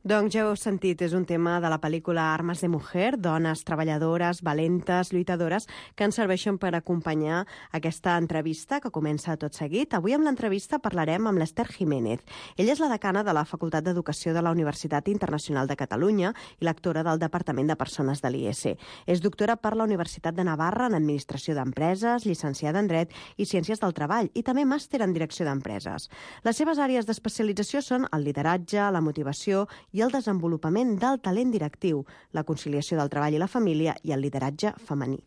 Doncs ja ho heu sentit, és un tema de la pel·lícula Armes de Mujer, dones treballadores, valentes, lluitadores, que ens serveixen per acompanyar aquesta entrevista que comença tot seguit. Avui amb l'entrevista parlarem amb l'Ester Jiménez. Ella és la decana de la Facultat d'Educació de la Universitat Internacional de Catalunya i lectora del Departament de Persones de l'IES. És doctora per la Universitat de Navarra en Administració d'Empreses, llicenciada en Dret i Ciències del Treball i també màster en Direcció d'Empreses. Les seves àrees d'especialització són el lideratge, la motivació i el desenvolupament del talent directiu, la conciliació del treball i la família i el lideratge femení.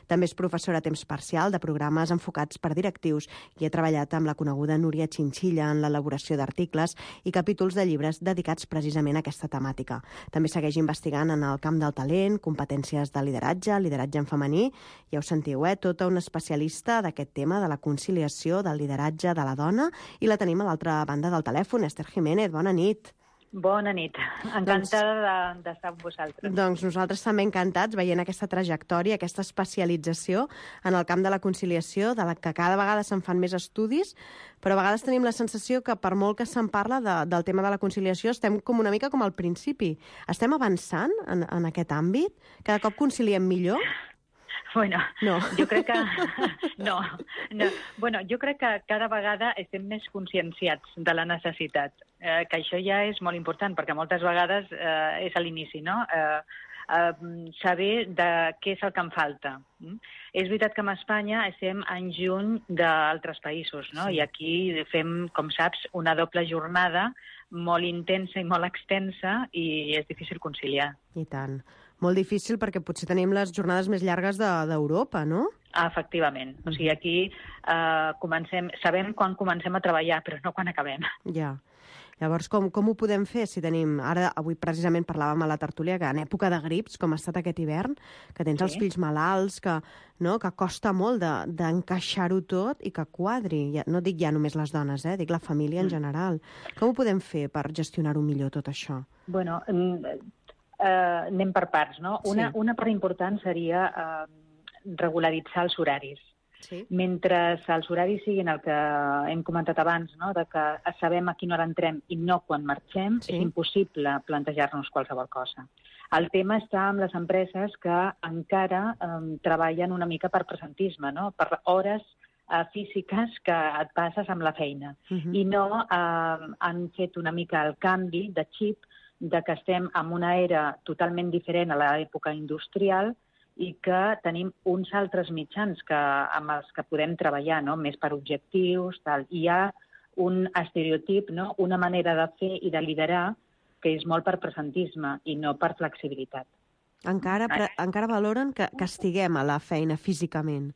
També és professora a temps parcial de programes enfocats per directius i ha treballat amb la coneguda Núria Chinchilla en l'elaboració d'articles i capítols de llibres dedicats precisament a aquesta temàtica. També segueix investigant en el camp del talent, competències de lideratge, lideratge en femení, ja ho sentiu, tota una especialista d'aquest tema de la conciliació del lideratge de la dona i la tenim a l'altra banda del telèfon. Ester Jiménez, bona nit. Bona nit. Encantada d'estar amb vosaltres. Doncs nosaltres també encantats veient aquesta trajectòria, aquesta especialització en el camp de la conciliació, de la que cada vegada se'n fan més estudis, però a vegades tenim la sensació que per molt que se'n parla del tema de la conciliació estem com una mica com al principi. Estem avançant en aquest àmbit? Cada cop conciliem millor? Bueno, no. Jo crec que... No. Bueno, jo crec que cada vegada estem més conscienciats de la necessitat, que això ja és molt important, perquè moltes vegades és a l'inici, no? Saber de què és el que em falta. És veritat que a Espanya estem anys lluny d'altres països, no? I aquí fem, com saps, una doble jornada molt intensa i molt extensa i és difícil conciliar. I tant. Molt difícil perquè potser tenim les jornades més llargues d'Europa, no? Efectivament. O sigui, aquí sabem quan comencem a treballar, però no quan acabem. Ja. Llavors, com ho podem fer si tenim... Avui precisament parlàvem a la tertúlia que en època de grips, com ha estat aquest hivern, que tens els fills malalts, que costa molt d'encaixar-ho tot i que quadri. No dic ja només les dones, dic la família en general. Com ho podem fer per gestionar-ho millor, tot això? Bueno, anem per parts, no? Una part important seria regularitzar els horaris. Sí. Mentre els horaris siguin el que hem comentat abans, no? De que sabem a quina hora entrem i no quan marxem, sí. És impossible plantejar-nos qualsevol cosa. El tema està amb les empreses que encara treballen una mica per presentisme, no? Per hores físiques que et passes amb la feina. I no han fet una mica el canvi de xip de que estem en una era totalment diferent a l'època industrial i que tenim uns altres mitjans amb els que podem treballar, no? Més per objectius, tal. I hi ha un estereotip, no? Una manera de fer i de liderar que és molt per presentisme i no per flexibilitat. Encara valoren que estiguem a la feina físicament.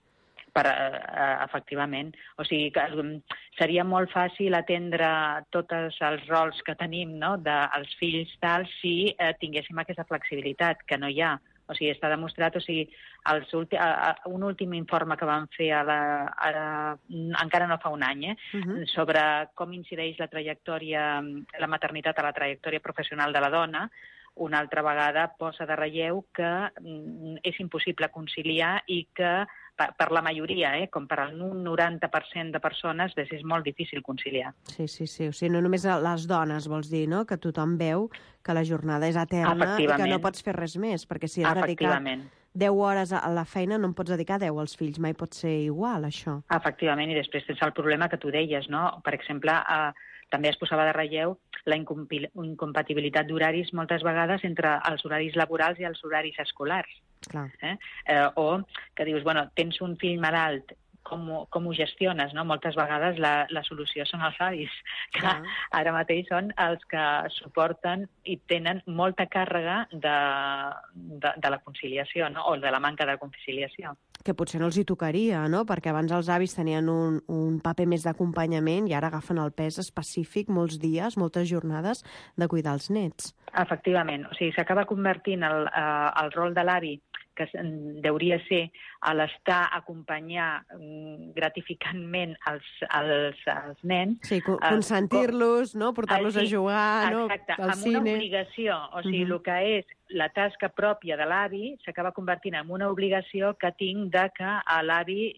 Efectivament. O sigui, que seria molt fàcil atendre tots els rols que tenim, no? Dels fills tal, si tinguéssim aquesta flexibilitat, que no hi ha. O sigui, està demostrat, un últim informe que vam fer encara no fa un any, sobre com incideix la maternitat a la trajectòria professional de la dona, una altra vegada posa de relleu que és impossible conciliar i que per la majoria, com per al 90% de persones, és molt difícil conciliar. Sí. O sigui, no només les dones, vols dir, no? Que tothom veu que la jornada és eterna i que no pots fer res més, perquè si has dedicat 10 hores a la feina no en pots dedicar 10 als fills, mai pot ser igual, això. Efectivament, i després tens el problema que tu deies, no? Per exemple, també es posava de relleu la incompatibilitat d'horaris moltes vegades entre els horaris laborals i els horaris escolars. Clar. O que dius, bueno, tens un fill malalt, com ho gestiones, no? Moltes vegades la solució són els avis, que ara mateix són els que suporten i tenen molta càrrega de la conciliació, no? O de la manca de conciliació. Que potser no els hi tocaria, no? Perquè abans els avis tenien un paper més d'acompanyament i ara agafen el pes específic molts dies, moltes jornades de cuidar els nets. Efectivament. O sigui, s'acaba convertint el rol de l'avi, que hauria ser a l'estar a acompanyar gratificantment els nens. Sí, consentir-los, no? Portar-los a jugar, no? Exacte, al cine. Una obligació. O sigui, el que és la tasca pròpia de l'avi s'acaba convertint en una obligació que tinc de que a l'avi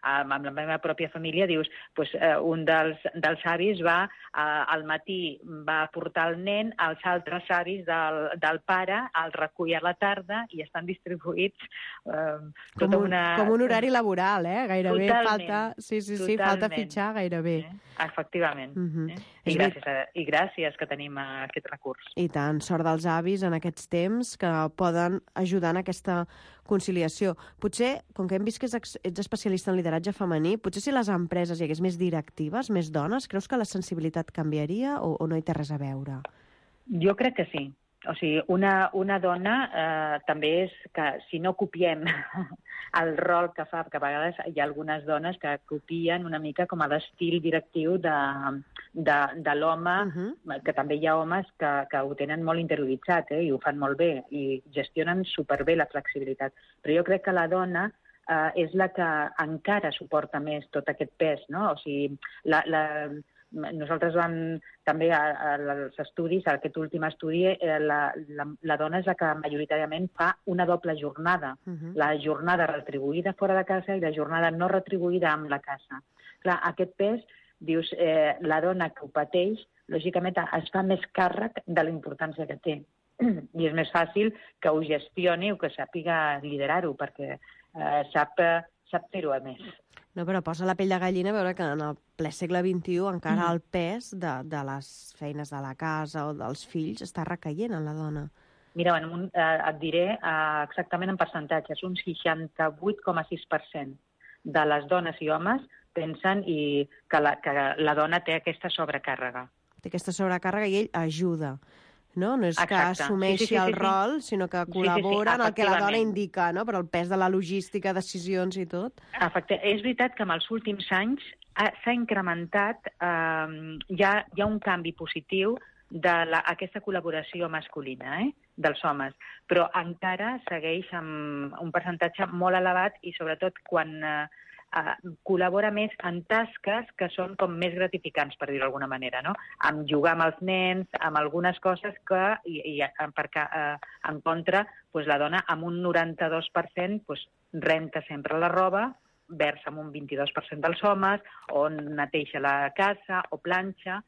amb la meva pròpia família, dius, doncs, un dels avis va, al matí va portar el nen, els altres avis del pare el recull a la tarda i estan distribuïts com un horari laboral, gairebé. Totalment. Falta fitxar gairebé. Efectivament. I gràcies que tenim aquest recurs. I tant, sort dels avis en aquests temps que poden ajudar en aquesta conciliació. Potser, com que hem vist que ets especialista en lideratge femení, potser si les empreses hi hagués més directives, més dones, creus que la sensibilitat canviaria o no hi té res a veure? Jo crec que sí. O sigui, una dona també és que si no copiem el rol que fa, perquè a vegades hi ha algunes dones que copien una mica com a l'estil directiu de l'home, que també hi ha homes que ho tenen molt interioritzat i ho fan molt bé i gestionen superbé la flexibilitat. Però jo crec que la dona és la que encara suporta més tot aquest pes, no? O sigui, nosaltres vam també als estudis, a aquest últim estudi, la dona és la que majoritàriament fa una doble jornada. La jornada retribuïda fora de casa i la jornada no retribuïda amb la casa. Clar, aquest pes, dius, la dona que ho pateix, lògicament es fa més càrrec de la importància que té. I és més fàcil que ho gestioni o que sàpiga liderar-ho, perquè sap fer-ho a més. No, però posa la pell de gallina veure que en el ple segle XXI encara el pes de les feines de la casa o dels fills està recaient en la dona. Mira, et diré exactament en percentatges. Un 68,6% de les dones i homes pensen que la dona té aquesta sobrecàrrega. Té aquesta sobrecàrrega i ell ajuda. No és que assumeixi el rol, sinó que col·labora en el que la dona indica, no? Per el pes de la logística, decisions i tot. És veritat que en els últims anys s'ha incrementat, hi ha un canvi positiu d'aquesta col·laboració masculina, dels homes, però encara segueix amb un percentatge molt elevat i sobretot quan col·labora més en tasques que són com més gratificants, per dir-ho d'alguna manera, no? Amb jugar amb els nens, amb algunes coses que, perquè en contra, la dona amb un 92% renta sempre la roba, versa amb un 22% dels homes, o neteja la casa, o planxa.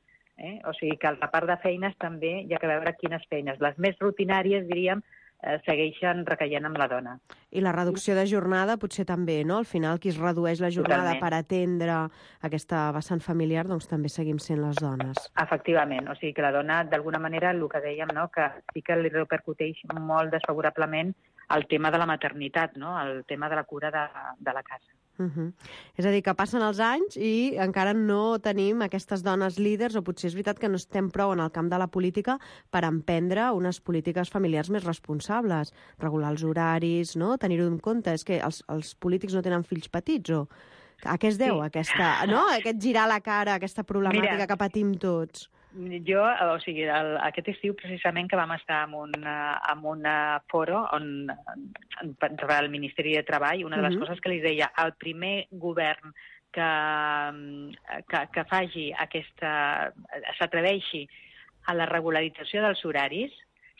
O sigui que el repart de feines també hi ha que veure quines feines. Les més rutinàries, diríem, segueixen recaient amb la dona. I la reducció de jornada potser també, no? Al final, qui es redueix la jornada per atendre aquesta vessant familiar, doncs també seguim sent les dones. Efectivament, o sigui que la dona, d'alguna manera, el que dèiem, no? Que sí que li repercuteix molt desfavorablement el tema de la maternitat, no? El tema de la cura de la casa. És a dir, que passen els anys i encara no tenim aquestes dones líders, o potser és veritat que no estem prou en el camp de la política per emprendre unes polítiques familiars més responsables, regular els horaris, no? Tenir-ho en compte. És que els polítics no tenen fills petits, o a què es deu aquest girar la cara, aquesta problemàtica que patim tots? Jo, o sigui, aquest estiu precisament que vam estar en un foro per al Ministeri de Treball, una de les coses que li deia, el primer govern que s'atreveixi a la regularització dels horaris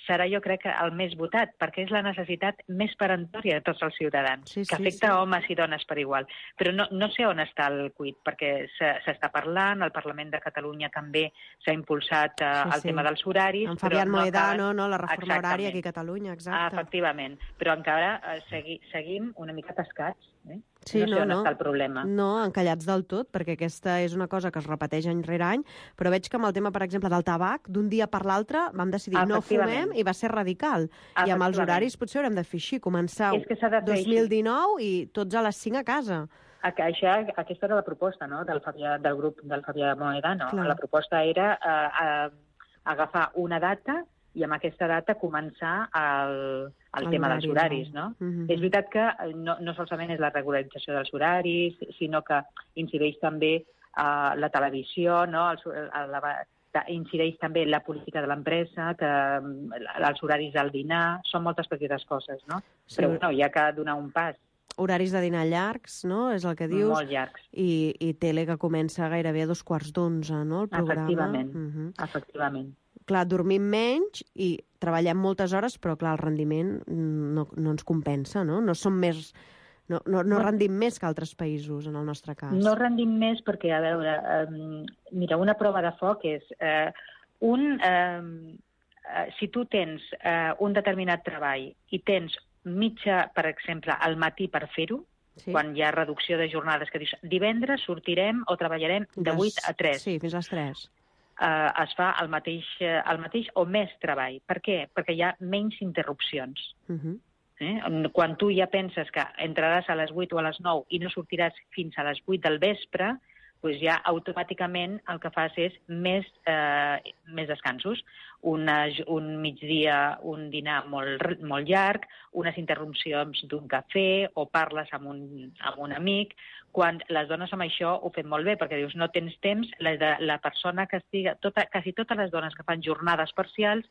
serà, jo crec, el més votat, perquè és la necessitat més peremptòria de tots els ciutadans, que afecta homes i dones per igual. Però no sé on està el quid, perquè s'està parlant, al Parlament de Catalunya també s'ha impulsat el tema dels horaris. En Fabián Mohedano, la reforma horària aquí a Catalunya, exacte. Efectivament, però encara seguim una mica tascats, no sé on està el problema. No, encallats del tot, perquè aquesta és una cosa que es repeteix any rere any, però veig que amb el tema, per exemple, del tabac, d'un dia per l'altre vam decidir no fumem i va ser radical. I amb els horaris potser haurem de fer així, començar 2019 i tots a les 5 a casa. Aquesta era la proposta, no?, del grup del Fabián Mohedano. La proposta era agafar una data i amb aquesta data començar el tema dels horaris, no? És veritat que no solament és la regularització dels horaris, sinó que incideix també la televisió, no? Incideix també la política de l'empresa, els horaris del dinar, són moltes petites coses, no? Però hi ha que donar un pas. Horaris de dinar llargs, no?, és el que dius. Molt llargs. I tele que comença gairebé a 2:45, no?, el programa. Efectivament. Clar, dormim menys i treballem moltes hores, però clar, el rendiment no ens compensa, no? No no rendim més que altres països, en el nostre cas. No rendim més perquè, a veure, mira, una prova de foc és si tu tens un determinat treball i tens mitja, per exemple, al matí per fer-ho, quan hi ha reducció de jornades, que dius, divendres sortirem o treballarem de 8 a 3. Sí, fins a les 3. Es fa el mateix o més treball. Per què? Perquè hi ha menys interrupcions. Quan tu ja penses que entraràs a les 8 o a les 9 i no sortiràs fins a les 8 del vespre, doncs ja automàticament el que fas és més descansos. Un migdia, un dinar molt llarg, unes interrupcions d'un cafè o parles amb un amic. Quan les dones amb això ho fem molt bé, perquè dius no tens temps, la persona que estiga... Quasi totes les dones que fan jornades parcials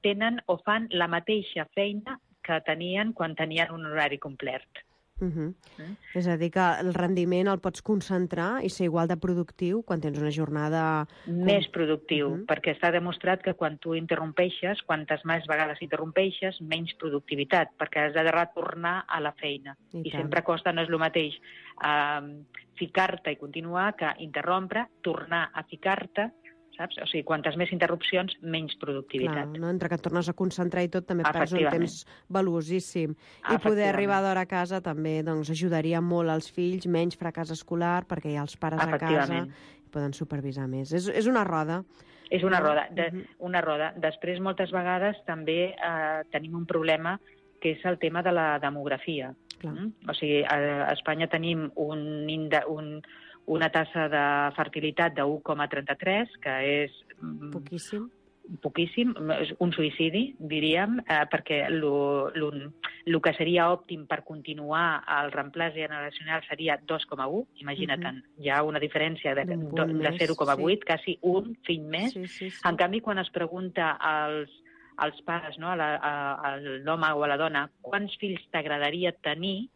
tenen o fan la mateixa feina que tenien quan tenien un horari complet. És a dir, que el rendiment el pots concentrar i ser igual de productiu quan tens una jornada... Més productiu, perquè està demostrat que quan tu interrompeixes, quantes més vegades interrompeixes, menys productivitat, perquè has de retornar a la feina. I sempre costa, no és el mateix ficar-te i continuar que interrompre, tornar a ficar-te, saps? O sigui, quantes més interrupcions, menys productivitat. Clar, no? Entre que et tornes a concentrar i tot, també perds un temps valuosíssim. I poder arribar d'hora a casa també ajudaria molt als fills, menys fracàs escolar, perquè hi ha els pares a casa i poden supervisar més. És una roda. És una roda. Una roda. Després, moltes vegades, també tenim un problema, que és el tema de la demografia. O sigui, a Espanya tenim una tassa de fertilitat de 1,33, que és... Poquíssim, un suïcidi, diríem, perquè el que seria òptim per continuar el reemplàs generacional seria 2,1. Imagina't, hi ha una diferència de 0,8, quasi un fill més. En canvi, quan es pregunta als pares, a l'home o a la dona, quants fills t'agradaria tenir,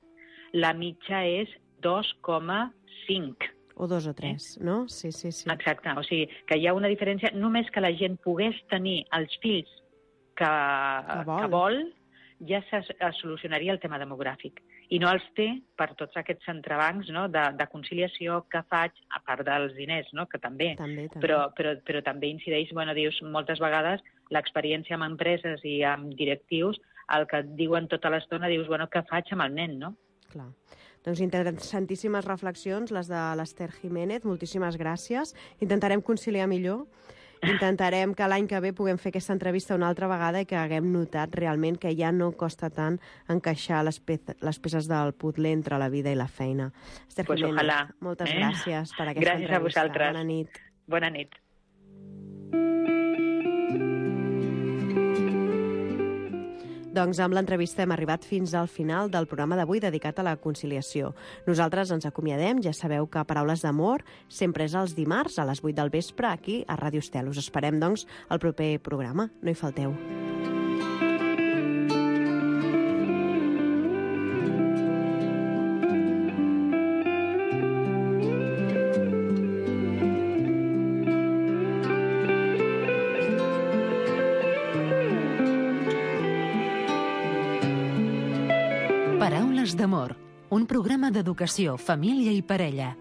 la mitja és 2,5. O 2 o 3, no? Sí. Exacte, o sigui, que hi ha una diferència, només que la gent pogués tenir els fills que vol, ja es solucionaria el tema demogràfic. I no els té per tots aquests entrebancs de conciliació que faig, a part dels diners, que també. Però també incideix, dius, moltes vegades l'experiència amb empreses i amb directius, el que et diuen tota l'estona, dius, què faig amb el nen, no? Clar. Doncs interessantíssimes reflexions, les de l'Ester Jiménez. Moltíssimes gràcies. Intentarem conciliar millor. Intentarem que l'any que ve puguem fer aquesta entrevista una altra vegada i que haguem notat realment que ja no costa tant encaixar les peces del puzzle entre la vida i la feina. Ester Jiménez, moltes gràcies per aquesta entrevista. Gràcies a vosaltres. Bona nit. Bona nit. Doncs amb l'entrevista hem arribat fins al final del programa d'avui dedicat a la conciliació. Nosaltres ens acomiadem, ja sabeu que Paraules d'Amor sempre és els dimarts a les 8 del vespre aquí a Ràdio Estel. Us esperem, doncs, al proper programa. No hi falteu. Paraules d'Amor, un programa d'educació, família i parella.